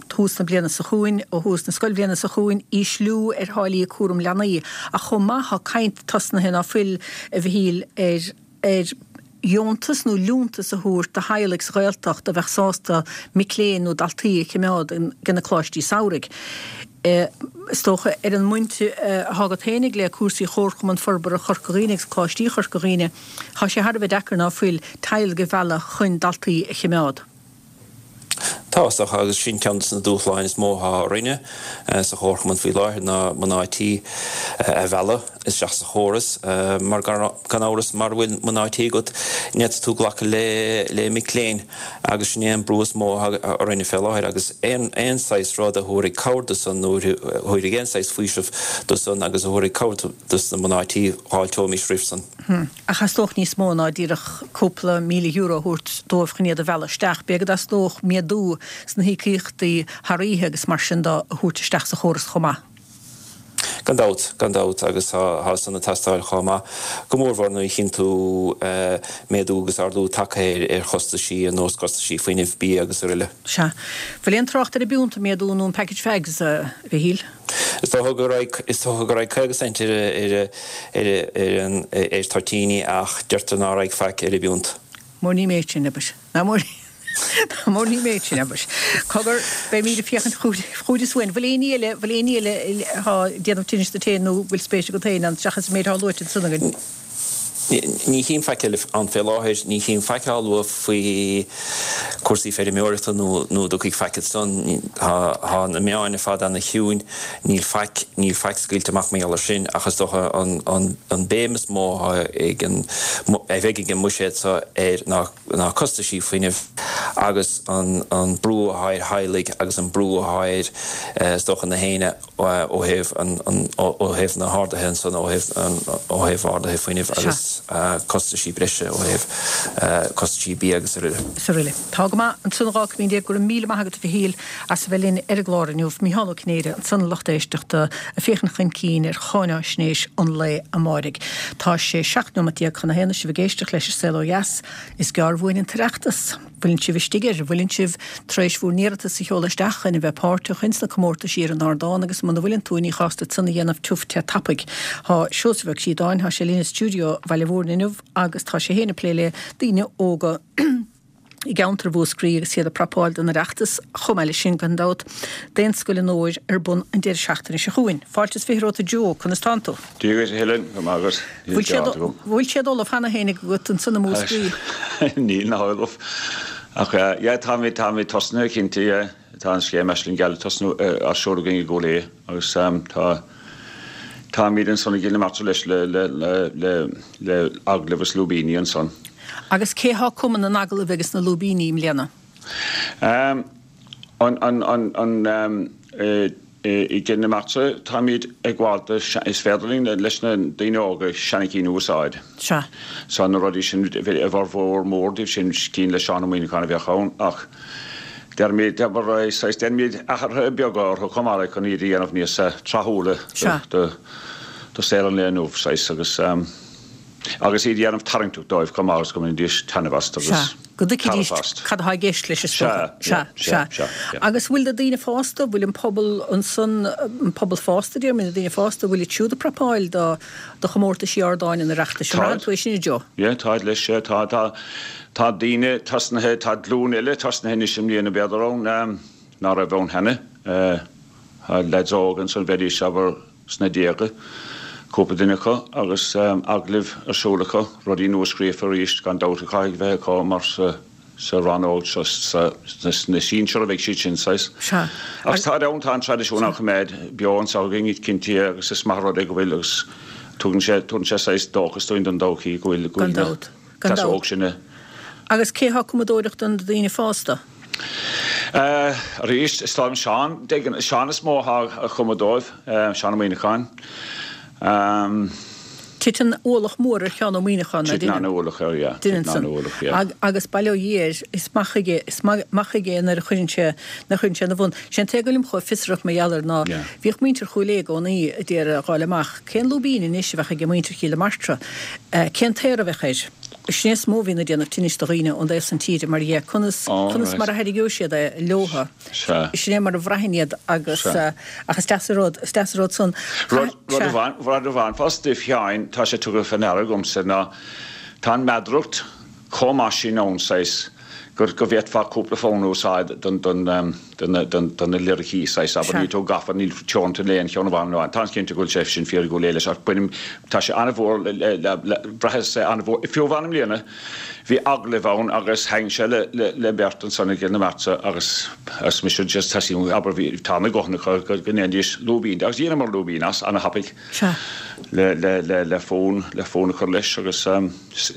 thús na bliana seo chugainn, ó thús na scoilbhliana seo chugainn, ísliú ar tháillí cúram leanaí. Ach chomh maith tá caint tosnaithe ná fuil, a Mhichíl, ar ar dheontas nó liúntas a thabhairt do theaghlaigh sa Ghaeltacht a bheadh sásta mic léinn nó daltaí a chimeád ag na coláistí samhraidh. Is dócha, ar an mbaint atá agat féinig le cúrsaí Chomharchumann Forbartha Chorca Dhuibhne agus Coláistí Chorca Dhuibhne, tá sé thar a bheith deacair ná fuil teaghlaigh a mhealladh chun daltaí a chimeád. Tá, is dócha, agus sin ceann de na dúshláin is mó atá orainne sa Chomharchumann faoi láthair ná mná tí a mhealladh isteach sa chóras mar gan amhras mara bhfuil mná tí agat ní fhéadfaidh tú glacadh le mic léinn. Agus sin é an brú is mó atá orainne fé láthair agus aon aon saghas rud a thabharfaidh cabhair do san nó a thabharfaidh aon saghas faoiseamh do san agus a thabharfaidh cabhair dos na mná tí, dh'fháilteoimis roimh san. Ach theastódh níos mó ná díreach cúpla €1,000 a thabhairt dóibh chun iad a mhealladh isteach. B'fhéidir go dteastódh méadú sna híocaíochtaí thar oíche agus mar sin de a thabhairt isteach sa chóras chomh maith. Gan dabht, gan dabht, agus tá san ag teastáil chomh maith, go mórmhór nuair a chíonn tú méadú agus ardú tagtha ar chostaisí ar nós costaisí fuinnimh, bia agus aroile. Sea. Bhfuil aon trácht ar an bpiúnt a méadú nó an package fags, a Mhichíl? Is dócha go raghaidh, is dócha go raghaidh 50 cent ar, ar, ar, ar an, ar toitíní ach deirtear ná raghaidh faic ar an bpiúnt. Mór ní méid sin, abair. Ná mór Ná mór ní méid sin, abair. Cogar, beimíd ag féachaint chugaibh is uainn. Bhfuil éinní eile, bhfuil éinní eile athá ag déanamh tinnis duit féin nó bhfuil spéis agat féin ann, seachas an méid athá luaite ansan againn? Ní chím faic eile ann fé láthair. Ní chím faic á lua faoi chúrsaí feirmeoireachta nó nó an dtiocfaidh faic ansan. Tá na meáin ar fad ana-chiúin. Níl faic, níl faic scaoilte amach mar gheall air sin ach is dócha an an an béim is mó athá ag an, a bheidh ag an mbuiséad seo air ná ná costaisí fuinnimh agus an brú athá ar theaghlaigh agus an brú athá ar, is dócha, na héinne ó thaobh an, ó thaobh na harduithe ansan, ó thaobh an, ó thaobh arduithe fuinnimh agus costaisí breise ó thaobh costaisí bia agus aroile. Is aroile. Tá go maith ansan 12 cúig. Go raibh míle maith agat a Mhichíl as a bheith linn ar an gclár inniu. Micheál Ó Cinnéide ansan a lucht éisteachta ag féachaint chun cinn ar cháináisnéis an lae amáirigh. Tá sé 17 nóimeat chun a haon is sibh ag éisteacht leis An Saol Ó Dheas. Is gearr uainn an tOireachtas. Bhfuileann sibh istigh air? Bhfuileann sibh tar éis bhur n-iarratas a sheoladh isteach chun a bheith páirteach ins na comórtaisí ar an ardán agus muna bhfuileann tú ní chás duit san a dhéanamh tiubh te tapaidh. Tá Seosamh Ó Críodáin, tá sé linn i stiúideo Bhaile Mhúirne inniu agus tá sé féin ag plé le daoine óga. i gceantar Mhúscraí agus iad ag prapáil don Oireachtas, chomh maith leis sin, gan dabht, Daonscoil an Fhómhair ar bun an deireadh seachtaine seo chugainn. Fáilte is 20 romhat a Joe, conas tánn tú? Dia dhuit a Helen, go maith agat. Níl cead agam. Bhfuil siad ullamh cheana féin agat ansan i Múscraí? Níl ná ullamh. Ach yeah, táimid, táimid tosnaithe cinnte, yeah. Tá an scéim Aisling Gheal ag tosnú á seoladh againn i gCúil Aodha agus tá. Táimid ansan i gCill na Martra leis le le le le le agallaimh is lúibíní ansan. Agus cé thá ag cumadh na n-agallamh agus na lúibíní i mbliana? An an an an I gCill na Martra táimid ag gabháil do, is féidir linn leis na daoine óga seana-chinn a úsáid. Sea. So na rudaí sin, a bhformhór mór díobh sin, cinn le Seán Ó Muimhneacháin a bheadh ann ach deirimid, abair, saghas, déanaimid athruithe beaga orthu chomh maith le chun iad a dhéanamh níos tráthúla do do saol an lae inniu, saghas, agus. Agus iad a dhéanamh tarraingteach dóibh chomh maith agus go mbainfidís taitneamh as agus Sea, go dtuigfidís tairbhe as. cad atá i gceist leis is dócha. Sea, Sea, sea, sea. Agus bhfuil na daoine fásta, bhfuil an pobal ansan, an pobal fásta, déarfainn, na daoine fásta, bhfuil iad siúd ag prapáil do, do chomórtaisí ardáin an Oireachtais? An mbraitheann tú é sin, a Joe? Yeah, táid leis, sea, tá, tá, tá daoine tosnaithe, tá glúin eile tosnaithe anois i mbliana b'fhéidir ann, ná raibh ann cheana. Tá leaids óga ansan, bheidís, abair, sna déaga, cúpla duine acu, agus agallaimh ar siúl acu, rudaí nua-scríofa arís gan dabht a chaithfidh bheith acu mar sa rannóg seo, sna sinsir a bheidh siad sin, saghas. Sea. Agus táid ann, tá an traidisiún á choimeád beo anseo againn, cinnte, agus is maith an rud é go bhfuil agus tugann sé, tugann sé saghas dóchas dúinn don todhchaí go bhfuil, go bhfuil na. Gan dabht. óg sin a. Agus cé thá ag cumadóireacht do na daoine fásta? Arís, is dóigh liom Seán, Seán is mó atá ag cumadh dóibh, Seán Ó Muimhneacháin. Titeann ualach mór ar Sheán Ó Muimhneacháin, ná deineann? Titeann an-ualach air, yeah. Deineann san. An-ualach, yeah. Agus bail ó Dhia air, is maith chuige, is maith chuige é nuair a chuireann sé, nuair a chuireann sé ina bhun. Sé an t-é go bhfuilim chomh fiosrach mar gheall air ná, bhíodh muintir Chúil Aodha i gcónaí a d'iarraidh a dh'fháil amach cén lúibín anois a bheadh aige muintir Chill na Martra. Cén t-aor a bheadh air? Sin é is mó a bhíonn ag déanamh tinnis do dhaoine ón dtaobh san tíre, mar dhea, conas, conas mar a thairgeoidh siad é leotha. Sin é mar a bhraitheann iad agus, ach is deas an rud, is deas an rud san. Rud, rud amháin, rud amháin fosta a Sheáin, tá sé tugtha fé ndeara agamsa ná tá an mheadaracht chomh maith sin ann, saghas, go, go bhféadfá cúpla fonn a úsáid don, don, do na, do na liricí, saghas, abair, níl tú gafa, níl teoranta le aon cheann amháin nó táim cinnte go bhfuil sé sin fíor i gCúil Aodha leis ach bainim, tá sé an-mhór le, le, le, le, bhraitheas é an-mhór, fiú amháin i mbliana bhí agallamh ann agus sheinn sé le, le, le beirt ansan i gCill na Martra agus, agus mise just tosaím, abair, bhí, tá na guthanna acu go, go ndéanfaidís lúibín de agus dheineamar lúibín as, ana-thapaidh le, le, le, le fonn, le fonn a chur leis agus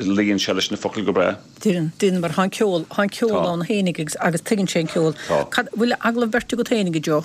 luíonn sé leis na focail go breá. Deineann, deineann, mar tá an ceol, tá an ceol Tá. ann fhéinig agus, agus tuigeann sé an ceol. Tá. Cad, bhfuil agallamh beirte agat fhéinig, a Joe?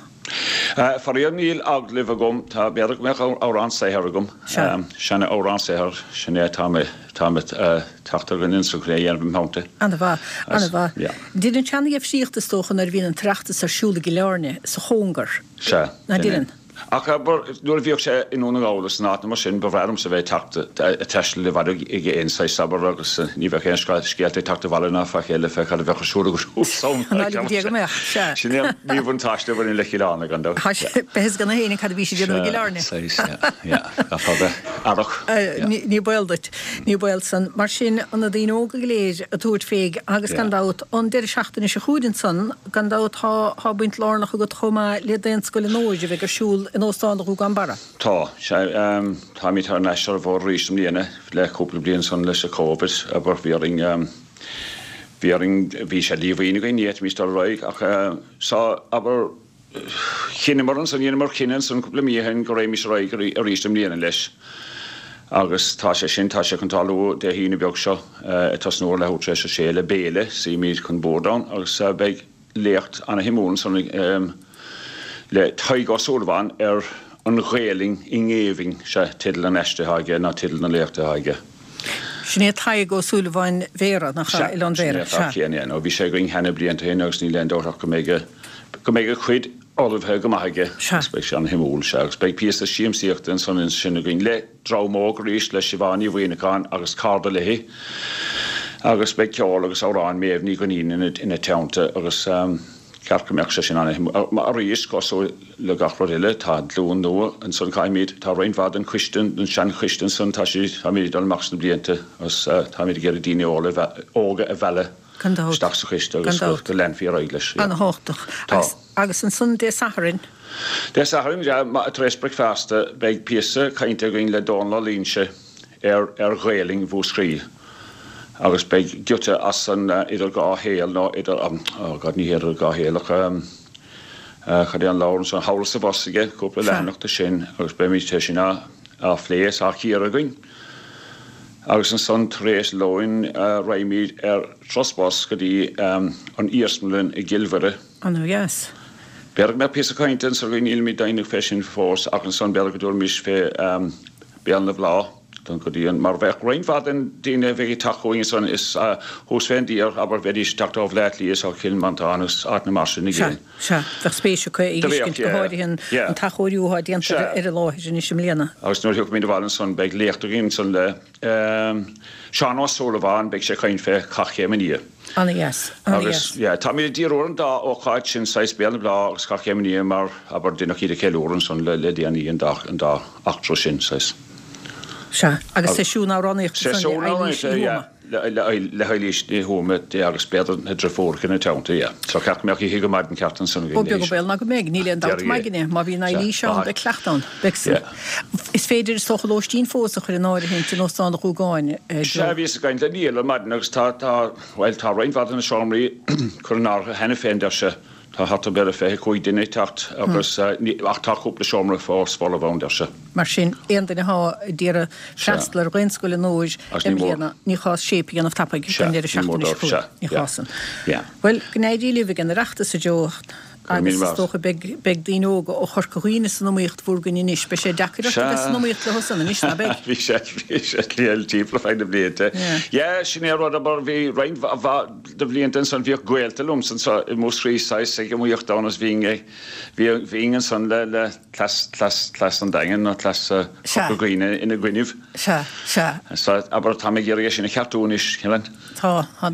Faraor níl agallamh agam, tá, b'fhéidir go mbeadh amhrán saothair agam. Sea. Seana-amhrán saothair, sin é atá mé, tá mé ag teacht ar dhuine ansan chun é a dhéanamh im theannta. Ana-mhaith, ana-mhaith. Yeah. Deineann sé ana-dhifríocht is dócha nuair a bhíonn an tOireachtas ar siúl i gCill Airne, sa chóngar. Sea, Ná sin é. deineann? Ach abair, nuair a bhíodh sé i nDún na nGall is in áiteanna mar sin, ba bhreá liomsa bheith ag teacht, ag taisteal i bhfad ag aon saghas, abair, agus ní bheadh aon scéalta ag teacht abhaile ná faic eile fé cad a bheadh ar siúl agat ansan. Ná lig Dia go mbeadh, sea. Sin é an míbhuntáiste a bhaineann le Cill Airne, gan dabht. Tá sé, beidh fhios ag gach éinne cad a bhí siad ag déanamh i gCill Airne. Sea, saghas, yeah, yeah, caithfear bheith aireach, yeah. Ní baol duit, ní baol san. Mar sin, na daoine óga go léir ag tabhairt fé agus gan dabht, an deireadh seachtaine seo chugainn ansan, Gan dabht tá, tá baint lárnach agat chomh maith le Daonscoil an Fhómhair a bheidh ar siúl in Óstán an Ghúgáin Barra. Tá, sea, táimid thar n-ais ar an bhfód arís i mbliana le cúpla bliain ansan leis an Covid, abair, bhí orainn, bhí orainn, bhí sé díomhaoin againn, ní fhéadfaimis dul ar aghaidh ach, so, abair, Chinneamar ansan, dheineamar cinneadh ansan cúpla mí ó shin go raghaimís ar aghaidh arís i mbliana leis agus tá sé sin, tá sé chun tarlú Dé hAoine beag seo ag tosnú ar leathuair tar éis a sé le béile, suímid chun boird ann agus beidh léacht ana-shuimiúil ansan le Tadhg Ó Súilleabháin ar an Ghaelainn i ngéibheann, sea, teideal an aiste atá aige ná teideal na léachta atá aige. Sin é Tadhg Ó Súilleabháin Bhéarra, nach ea, Oileán Bhéarra, sea. Sin é an fear céanna, nó bhí sé againn cheana blianta ó shin agus níl aon dabht ach go mbeidh a, go mbeidh a chuid ullmhaithe go maith aige agus beidh sé an-shuimiúil, sea. Agus beidh píosa siamsaíochta ansan ansin againn le dream óg arís, le Siobhán Ní Mhuimhneacháin agus cairde léi agus beidh ceol agus amhráin Méabh Ní Dhuinnín ina, ina teannta agus ceart go mbeadh sé sin an-shuimiúil. Arís, cosúil le gach rud eile, tá glúin nua ansan, caithfimid, tá roinnt mhaith den choiste, den seanchoiste ansan, tá siad, táimid ag dul amach sna blianta agus táimid ag iarraidh daoine óga a mhealladh isteach sa choiste agus go leanfaí ar aghaidh leis. An-thábhachtach. Tá. Agus ansan Dé Sathairn? Dé Sathairn, tar éis bricfeasta, beidh píosa cainte againn le Dónal Ó Loingsigh ar ar Ghaelainn Mhúscraí agus beidh giota as an Idir Dhá Shaol nó idir, oh God, ní hé Idir Dhá Shaol ach cad é an leabhar ansan, Thall is Abhus aige, cúpla leathanach de sin agus beimid tar éis sin a. á phlé is á chíoradh againn. Agus ansan tar éis lóin raghaimid ar turas bus go dtí an iarsmalann i gCill Mhuire. Ana dheas. B'fhéidir go mbeadh píosa cainte ansan againn, nílimid deimhneach fé sin fós, ach ansan b'fhéidir go dtabharfaimis fé Béal na Bláth don go dtí an, mar bheadh roinnt mhaith den daoine a bheidh ag teacht chugainn ansan is thuas fén dtír, abair, bheidís ag teacht ó Bhleá Cliath is ó Chill Mhantáin agus áiteanna mar sin i gcéin. Sea, bheadh spéis acu a fheiscint, go háirithe an t-athchóiriú atá déanta ar an láthair anois i mbliana. Agus nuair a thiocfaimid abhaile ansan beidh léacht againn ansan le Seán Ó Súilleabháin, beidh sé ag caint fé Chath Chéim an Fhia. Ana dheas, ana dheas. Agus, yeah, táimid ag díriú ar an dá ócáid sin, saghas Béal na Bláth agus Cath Chéim an Fhia mar, abair, deineadh iad a cheiliúradh ansan le le déanaí, an dá, an dá eachtra sin, saghas. Sea, agus seisiún amhránaíochta ansan le Eilís Ní Thuama. Le, le, le hEilís Ní Thuama, yeah, agus b'fhéidir na driofúracha ina teannta, yeah. So ceart go mbeadh oíche go maidin ceart ansan againn Ó, beag an baol ná go mbeidh, níl aon dabht m'aigne, má bhíonn Eilís ann, beidh cleacht ann. Beidh san. Is féidir, is dócha, lóistín fós a chur in áirithint in Óstán an Ghúgáin, Joe. Sea, bhíos ag caint le Niall ar maidin agus tá, tá, bhuel, tá roinnt mhaith de na seomraí curtha in áirithe cheana féin, deir sé. Tá thart ar b'fhéidir 25 duine ag teacht agus, ach tá cúpla seomra fós folamh ann, deir sé. Mar sin, aon duine atá ag iarraidh freastal ar Dhaonscoil Onóir i mbliana, ní gá séip a dhéanamh tapaidh don deireadh seachtaine seo chugainn. Ní gá san. Bhuel, go n-éirí libh ag an Oireachtas, a Joe. Agus is dócha beidh beidh daoine óga ó Chorca Dhuibhne san iomaíocht bhur gcoinne anois. Beidh sé deacair ort a bheith san iomaíocht leo san anois, ná beidh? Bhí sé bhí sé liath timpeall ar feadh na blianta. Yeah, sin é an rud, abair, bhí roinnt mhaith de bhlianta ansan, bhíodh gaolta liomsa anso i Múscraí saghas ag iomaíocht ann agus bhínn ag, bhí, bhínn ansan le, le cleas, cleas, cleas an Daingin nó cleas Chorca Dhuibhne ina gcoinnibh. Sea, sea. So, abair, tá mé ag iarraidh é sin a cheartú anois, Helen. Tá, tá.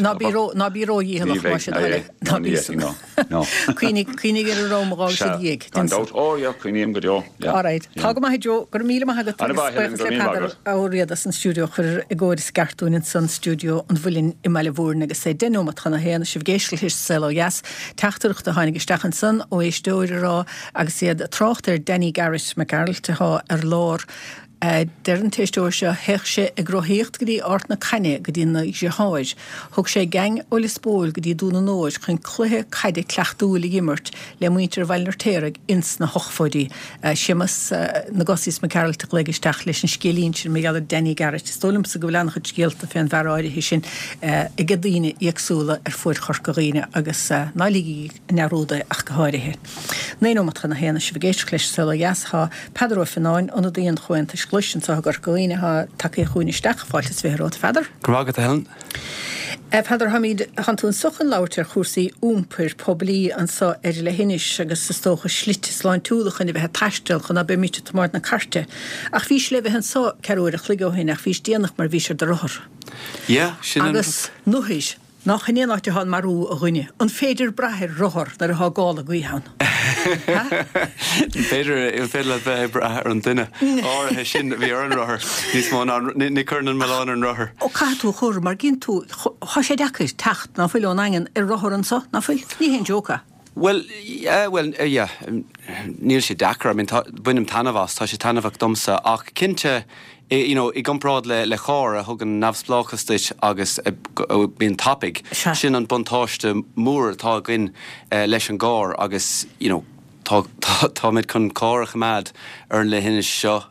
Ná bí ró, ná bí ródhícheallach, más é do thoil é. Ná bí san. Cuimhnigh, cuimhnigh ar an am a dh'fhág siad dhiaidh. Gan dabht. Ó, yeah, cuimhním go deo. Yeah. All right. Tá go maith, a Joe. Go raibh míle maith agat agus buíochas le Peadar Ó Riada as an stiúideo a chur i gcóir is i gceart dúinn ansan, stiúideo an Mhuilinn i mBaile Mhúirne agus é 10 nóimeat chun a haon, sibh ag éisteacht leis an Saol Ó Dheas. Teachtaireacht a tháinig isteach ansan ó éisteoir a rá agus iad ag trácht ar Danny Garrett Mac Gearailt atá ar lár, Deir an t-éisteoir seo, théadh sé ag rothaíocht go dtí Ard na Caithne go dtí na dheartháir. Thug sé geaing ó Lios Póil go dtí Dún an Óir chun cluiche caide cleachtúil a dh'imirt le muintir Bhaile an Fheirtéaraigh ins na hochtóidí. Séamus na gCosaí Mac Gearailt a ghlaoigh isteach leis an scéilín sin mar gheall ar Danny Garrett. Is dóigh liomsa go bhfuil an-chuid scéalta fén bhfear áirithe sin ag daoine éagsúla ar fuaid Chorca Dhuibhne agus ná ligigí i ndearúd é ach go háirithe. 9 nóimeat chun a haon, sibh ag éisteacht leis an Saol Ó Dheas. Tá Peadar Ó Fionnáin, ionadaí an Chomhaontais Ghlais anseo i gCorca Dhuibhne, atá tagtha chugainn isteach. Fáilte is 20 romhat, a Pheadair. Go raibh maith agat, a Helen. A Pheadair, táimid, tánn tú anseo chun labhairt ar chúrsaí iompair poiblí anseo ar leithinis agus is dócha slite sláintiúla chun a bheith ag taisteal chun ná beimid ag tiomáint na cairte. Ach bhís le bheith anseo ceathrú uair a chloig ó shin ach bhís déanach mar bhís ar do rothar. Yeah, sin an rud. Agus nuair. Nach in é an áit atá an marú, a dhuine? An féidir brath ar rothar nuair atá gála gaoithe ann? B'fhéidir, an féidir leat bheith ag brath ar an duine áirithe sin a bhí ar an rothar níos mó ná, ní chuireann an milleán ar an rothar. Ó, caithfidh tú a chur, mar gíonn tú, tá sé deacair teacht, ná fuil, ón nDaingean ar rothar anso, ná fuil? Ní haon joke é. Bhuel, yeah, bhuel, yeah, níl sé deacair, I mean, tá, bainim taitneamh as, tá sé taitneamhach domsa, ach cinnte, you know, i gcomparáid le, le carr a thugann neamhspleáchas duit agus a bíonn tapaidh, sin an buntáiste mór atá againn leis an gcarr agus, you know, tá, tá, táimid chun carr a choimeád ar an leithinis seo,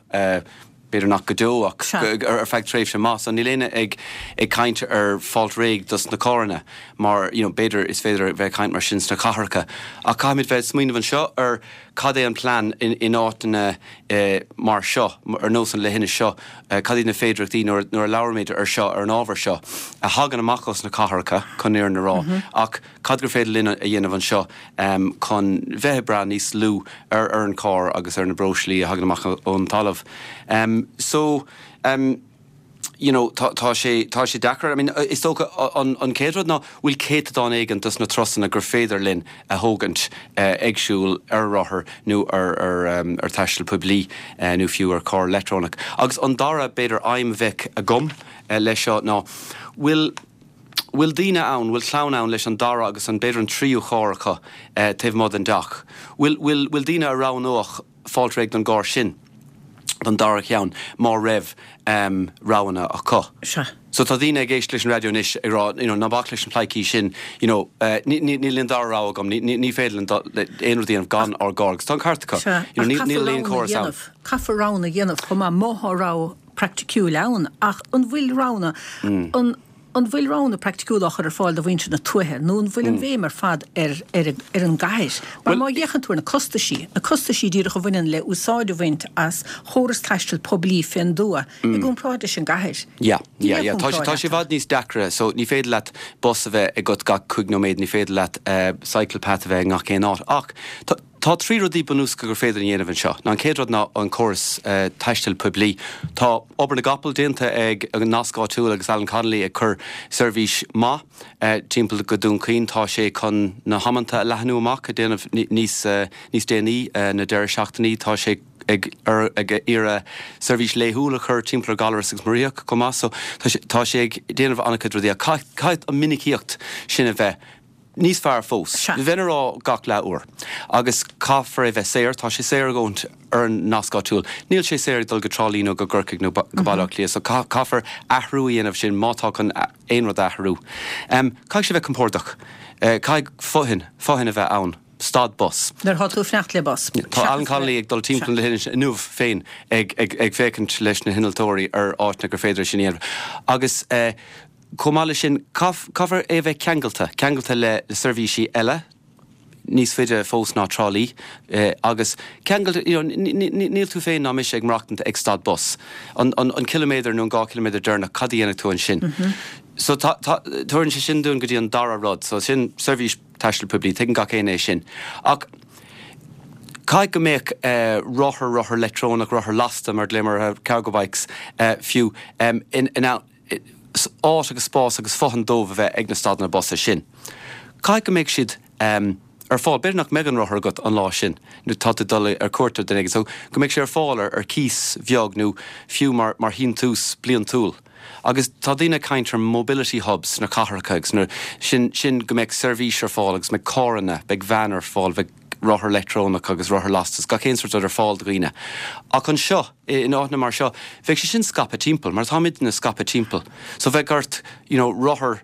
b'fhéidir nach go deo ach ar feadh tréimhse maith. So níl éinne ag ag caint ar fáilt réidh dos na carranna mar you know b'fhéidir is féidir a bheith ag caint mar sin sna cathracha ach caithfimid bheith ag smaoineamh anseo ar cad é an plean in in áiteanna mar seo, ar nós an leithinis seo, cad iad na féidireachtaí nuair nuair a labhraímid ar seo, ar an ábhar seo a thagann amach os na cathracha chun an fhírinne a rá ach Cad gur féidir linn a dhéanamh anseo chun bheith ag brath níos lú ar ar an carr agus ar na breoslaí a thagann amach ón talamh? So, you know, tá tá sé tá sé deacair. I mean, is dócha an an chéad rud ná bhfuil céatadán éigin dos na turasanna gur féidir linn a thógaint ag siúl, ar rothar nó ar ar ar taisteal poiblí nó fiú ar carr leictreonach. Agus an dara b'fhéidir aidhm a bheadh agam leis seo ná bhfuil bhfuil daoine ann, bhfuil clann ann leis an dara agus an, b'fhéidir an tríú charr acu taobh amuigh den dteach? Bhfuil, bhfuil, bhfuil daoine a roghnódh fáilt réidh don gcarr sin? don dara cheann má raibh roghanna acu. Sea. So tá daoine ag éisteacht leis an raidió anois ag rá, you know, ná bac leis na pleidhcí sin, you know, níl aon dara rogha agam, ní féidir linn aon rud a dhéanamh gan ár gcarr agus tá an ceart acu. Sea, You know, ach níl caithfear aon roghanna a chóras ann. dhéanamh, caithfear roghanna a dhéanamh chomh maith má tá rogha praiticiúil ann ach an bhfuil roghanna, an, An bhfuil roghanna praiticiúla á chur ar fáil do mhuintir na tuaithe nó an bhfuil an bhéim ar fad ar ar ar an gcathair? Mar má fhéachann tú ar na costaisí, na costaisí díreach a bhaineann le úsáid a bhaint as chóras taistil poiblí fén dtuath i gcomparáid leis an gcathair, Yeah, níl yeah, aon yeah. Tá sé, chomparáid tá sé i eatarthu. bhfad níos deacra. So ní féidir leat bus a bheith agat gach cúig nóiméad, ní féidir leat cycle path a bheith i ngach aon áit. Ach tá, Tá trí rudaí bunúsacha gur féidir a dhéanamh anseo. Ná an chéad rud ná an córas taistil poiblí. Tá obair na gcapall déanta ag an Nasc Áitiúil agus Alan Connolly ag cur seirbhís maith timpeall go Dún Chaoin. Tá sé chun na hamanta a leathnú amach, ag déanamh níos níos déanaí na deireadh seachtainí. Tá sé ag ag iarraidh seirbhís laethúil a chur timpeall ar Ghallaras agus Muiríoch chomh maith. So tá sé tá sé ag déanamh an-chuid rudaí ach caithfidh an minicíocht sin a bheith Níos fearr fós, bheinn ag rá gach leath uair. Agus caithfear é bheith saor, tá sé saor a dhóthaint ar an nasc áitiúil. Níl sé saor ag dul go Trá Lí nó go gCorcaigh nó go Baile Átha Cliath, so caithfear athrú a dhéanamh sin má tá chun aon rud a athrú. Caithfidh sé bheith compordach. Caithfidh fothain, fothain a bheith ann, stad bus. Nuair atá tú ag fanacht le bus. Tá Alan Connolly ag dul timpeall na hInis inniu féin ag féachaint leis na hinnealtóirí ar áiteanna gur féidir é sin a dhéanamh. Agus. Chomh maith leis sin, caithfear é a bheith ceangailte, ceangailte le seirbhísí eile, níos faide fós ná Trá Lí, agus ceangailte, you know, níl tú féin ná mise ag maireachtaint ag stad bus. An ciliméadar nó an 2 chiliméadar deireanach, cad a dhéanfaidh tú ansin? So tá, tá, tabharann sé sin dúinn go dtí an dara rud, so sin seirbhís taistil poiblí, tuigeann gach éinne é sin. Ach caithfidh go mbeadh rothar, rothar leictreonach, rothar lasta, mar a ghlaomar orthu, cargo bikes, fiú, in ann, áit agus spás agus fothain dóibh a bheith ag na stadanna busa sin. Caithfidh go mbeidh siad ar fáil. B'fhéidir nach mbeidh an rothar agat an lá sin nó tá tú ag dul ar cuairt ar duine éigin so go mbeidh sé ar fáil ar cíos bheag nó fiú mar mar shíntiús bliantúil. Agus tá daoine ag caint ar mobility hubs sna cathracha agus na sin sin go mbeidh seirbhís ar fáil agus mbeidh carranna, beidh veain ar fáil, bheidh rothar leictreonach agus rothar lastas, gach aon sórt rud ar fáil do dhaoine. Ach anseo, in áiteanna mar seo, bheadh sé sin scaipthe timpeall, mar táimidne scaipthe timpeall. So bheadh ort, you know, rothar,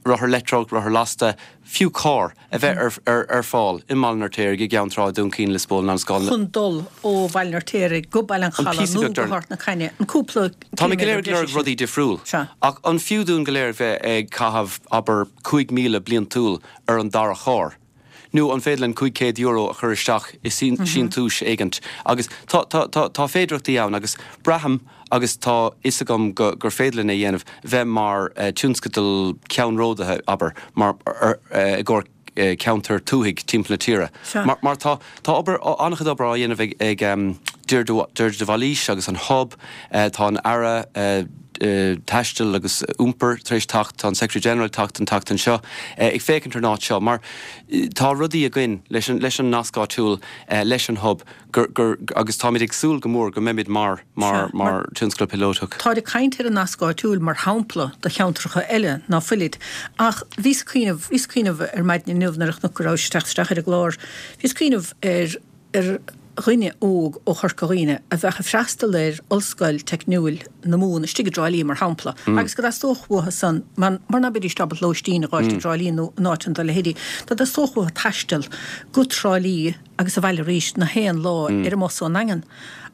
rothar leictreonach, rothar lasta, fiú carr, a bheith ar, ar, ar fáil i mBaile an Fheirtéaraigh, i gCeann Trá, i Dún Chaoin, Lios Póil, an Scáil, chun dul ó Bhaile an Fheirtéaraigh go Baile an An Chalaidh píosa nó beag go deireanach. hArt na Caithne, an cúpla Táimid go léir ciliméadar ag breise lorg sin. rudaí difriúil. Sea. Ach an fiú dúinn go léir bheith ag caitheamh, abair, 5,000 bliantúil ar an dara charr? Nó an féidir linn €500 a chur isteach i síntiúis éigint? Agus tá, tá, tá, tá féidearthachtaí ann agus braithim agus tá fhios agam go, gur féidir linn é a dhéanamh, bheith mar tionscadal ceannródaithe, abair, mar, ar, i gcomhair ceantar tuaithe timpeall na tíre. Mar, mar tá, tá obair, an-chuid obair á dhéanamh ag, ag Deirdre, Deirdre de Bhailís agus an Hub, tá an Aire, Taistil agus Iompair tar éis teacht, tá an Secretary General ag teacht an tseachtain seo, ag féachaint ar an áit seo mar tá rudaí againn leis an, leis an nasc áitiúil, leis an Hub gur, gur, agus táimid ag súil go mór go mbeimid mar, mar, mar tionscadal píolótach. Táid ag caint ar an nasc áitiúil mar shampla do cheantracha eile ná fuilid ach bhíos ag cuimhneamh, bhíos ag cuimhneamh ar maidin inniu nuair a chonac go rabhais ag teacht isteach ar an gclár, bhíos ag cuimhneamh ar, ar dhuine óg ó Chorca Dhuibhne a bheadh ag freastal ar Ollscoil Teicniúil na Mumhan istigh i dTrá Lí, mar shampla, agus go dteastódh uathu san, mar ná beidís ábalta lóistín a dh'fháilt i dTrá Lí nó in áiteanna dá leithéidí, dá dteastódh uathu taisteal go Trá Lí agus abhaile arís na haon lá ar an mbus ón nDaingean.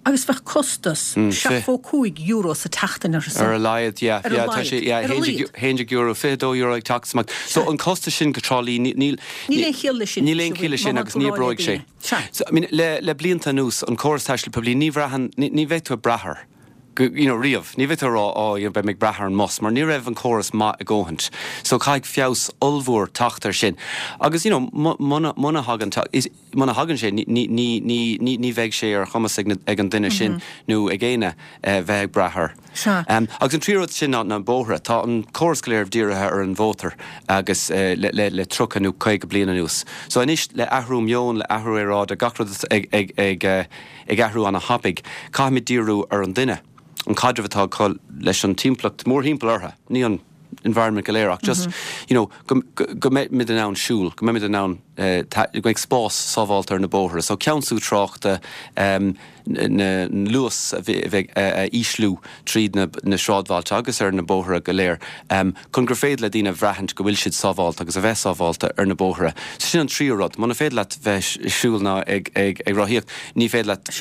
Agus bheadh costas €75 sa tseachtain orthu san. Ar a laghad, yeah. Ar a Yeah, tá laghad. sé, yeah, Ar a laghad. €11, €22 ag teacht amach. So an costas sin go Trá Lí, níl, Níl aon chiall leis sin. Níl aon chiall leis sin agus ní oibreoidh sé. Sea. So, I mean, le, le blianta anuas, an córas taistil poiblí, ní bhraitheann, ní, ní bheidh tú ag brath air, go, you know, riamh. Ní bheidh tú ag rá, oh, you know, beidh mé ag brath ar an mbus, mar ní raibh an córas maith a dhóthaint. So, caithfidh feabhas ollmhór teacht air sin. Agus, you know, muna, muna thagann, is, muna thagann sé, ní, ní, ní, ní, ní, ní bheidh sé ar chumas ag na, ag an duine sin nó ag éinne bheith ag brath air. Sea. Agus an tríú rud sin ná na bóithre. Tá an córas go léir dírithe ar an mhótar agus le le le 30 nó 50 bliain anuas. So anois le athrú meoin, le athrú aeráide, gach rud ag ag ag ag athrú ana-thapaidh, caithfimid díriú ar an duine, an caidreamh atá acu leis an timpeallacht mórthimpeall orthu, ní an environment go léir ach just you know go go mbeimid in ann siúl, go mbeimid in ann go mbeidh spás sábháilte ar na bóithre. So ceansú tráchta, um. na luas a bheith a ísliú tríd na sráidbhailte agus ar na bóithre go léir chun gur féidir le daoine a bhraithint go bhfuil siad sábhálta agus a bheith sábhálta ar na bóithre. So sin an tríú rud. Muna féidir leat bheith ag siúl ná ag rothaíocht, ní féidir leat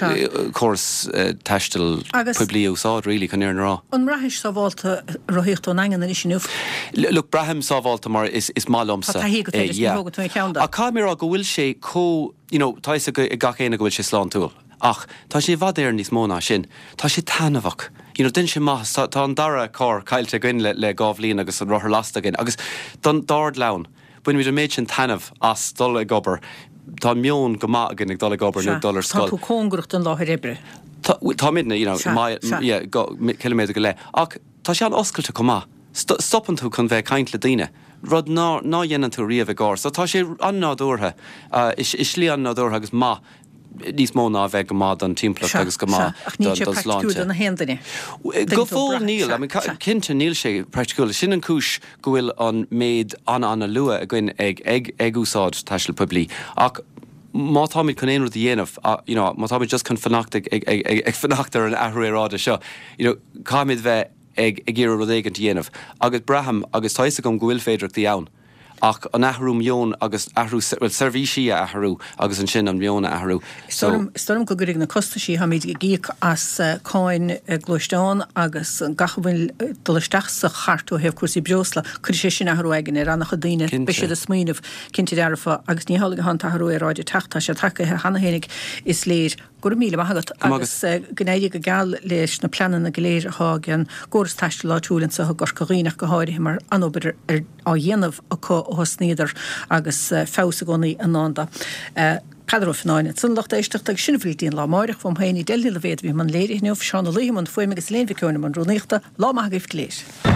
córas taistil poiblí a úsáid really chun an fhírinne a rá. An mbraithis sábhálta rothaíocht ón nDaingean anois inniu? Look, braithim sábhálta mar is maith liomsa. Tá taithí agat air is ní thógann tú aon cheann de. Ach caithfidh mé a rá go bhfuil sé chomh, you know, tá fhios ag gach éinne go bhfuil sé sláintiúil. Ach tá sé i bhfad Éireann níos mó ná sin. Tá sé taitneamhach. You know, déanann sé maitheas. Tá, tá an dara carr caillte againn le, le 2 bhliain agus an rothar lasta againn. Agus don dord lann, bainimid an méid sin taitneamh as dul ag obair. Tá meon go maith againn ag dul ag obair nó ag dul ar scoil. Tá tú cóngarach don láthair oibre. Tá, táimidne, you know, Sea, sea. yeah, ciliméadar go leith. Ach tá sé an-oscailte chomh maith. Stopann tú chun bheith ag caint le daoine, rud ná, ná dhéanann tú riamh i gcarr. So tá sé an-nádúrtha, i slí an-nádúrtha agus maith. níos mó ná a bheith go maith don timpeallacht agus go maith Ach níl sé don praiticiúil sláinte. do na haon duine. Go fóill níl. I mean, cinnte níl sé praiticiúil. Sin an cúis go bhfuil an méid an-an-luath againn ag ag ag úsáid taisteal poiblí. Ach má táimid chun aon rud a dhéanamh, you know, má táimid just chun fanacht ag ag ag ag fanacht ar an athrú aeráide seo, you know, caithfimid bheith ag ag iarraidh rud éigint a dhéanamh. Agus braithim, agus tá fhios agam go bhfuil féidearthachtaí ann. Ach an athrú meoin agus athrú, bhuel, seirbhísí a athrú agus ansin an meon a athrú. Is dóigh liom, is dóigh liom go gcuirfidh na costaisí atáimid ag íoc as cáin gluaisteán agus gach a bhfuil ag dul isteach sa chairt ó thaobh cúrsaí breosla, cuirfidh sé sin athrú aigne ar an-chuid daoine. Beidh siad ag smaoineamh, cinnte dearfa, agus ní hamhlaidh atá an t-athrú aeráide ag teacht, tá sé tagaithe cheana féinig, is léir. Go raibh míle maith agat agus go n-éirí go geal leis na pleananna go léir atá ag an gcóras taistil áitiúil anseo i gCorca Dhuibhne ach go háirithe mar an-obair á dhéanamh acu ó thosnaíodar agus feabhas i gcónaí i ndán dó. Peadar Ó Fionnáin ansan, lucht éisteachta, agus sin a bhfuil go dtí an lá amáireach. Uaim féin, Edel Ní Loibhéad a bhí i mbun léirithe inniu, Seán Ó Laoithe i mbun fuaime agus Elaine Mhic Eoin i mbun rúnaíochta. Lá maith agaibh go léir.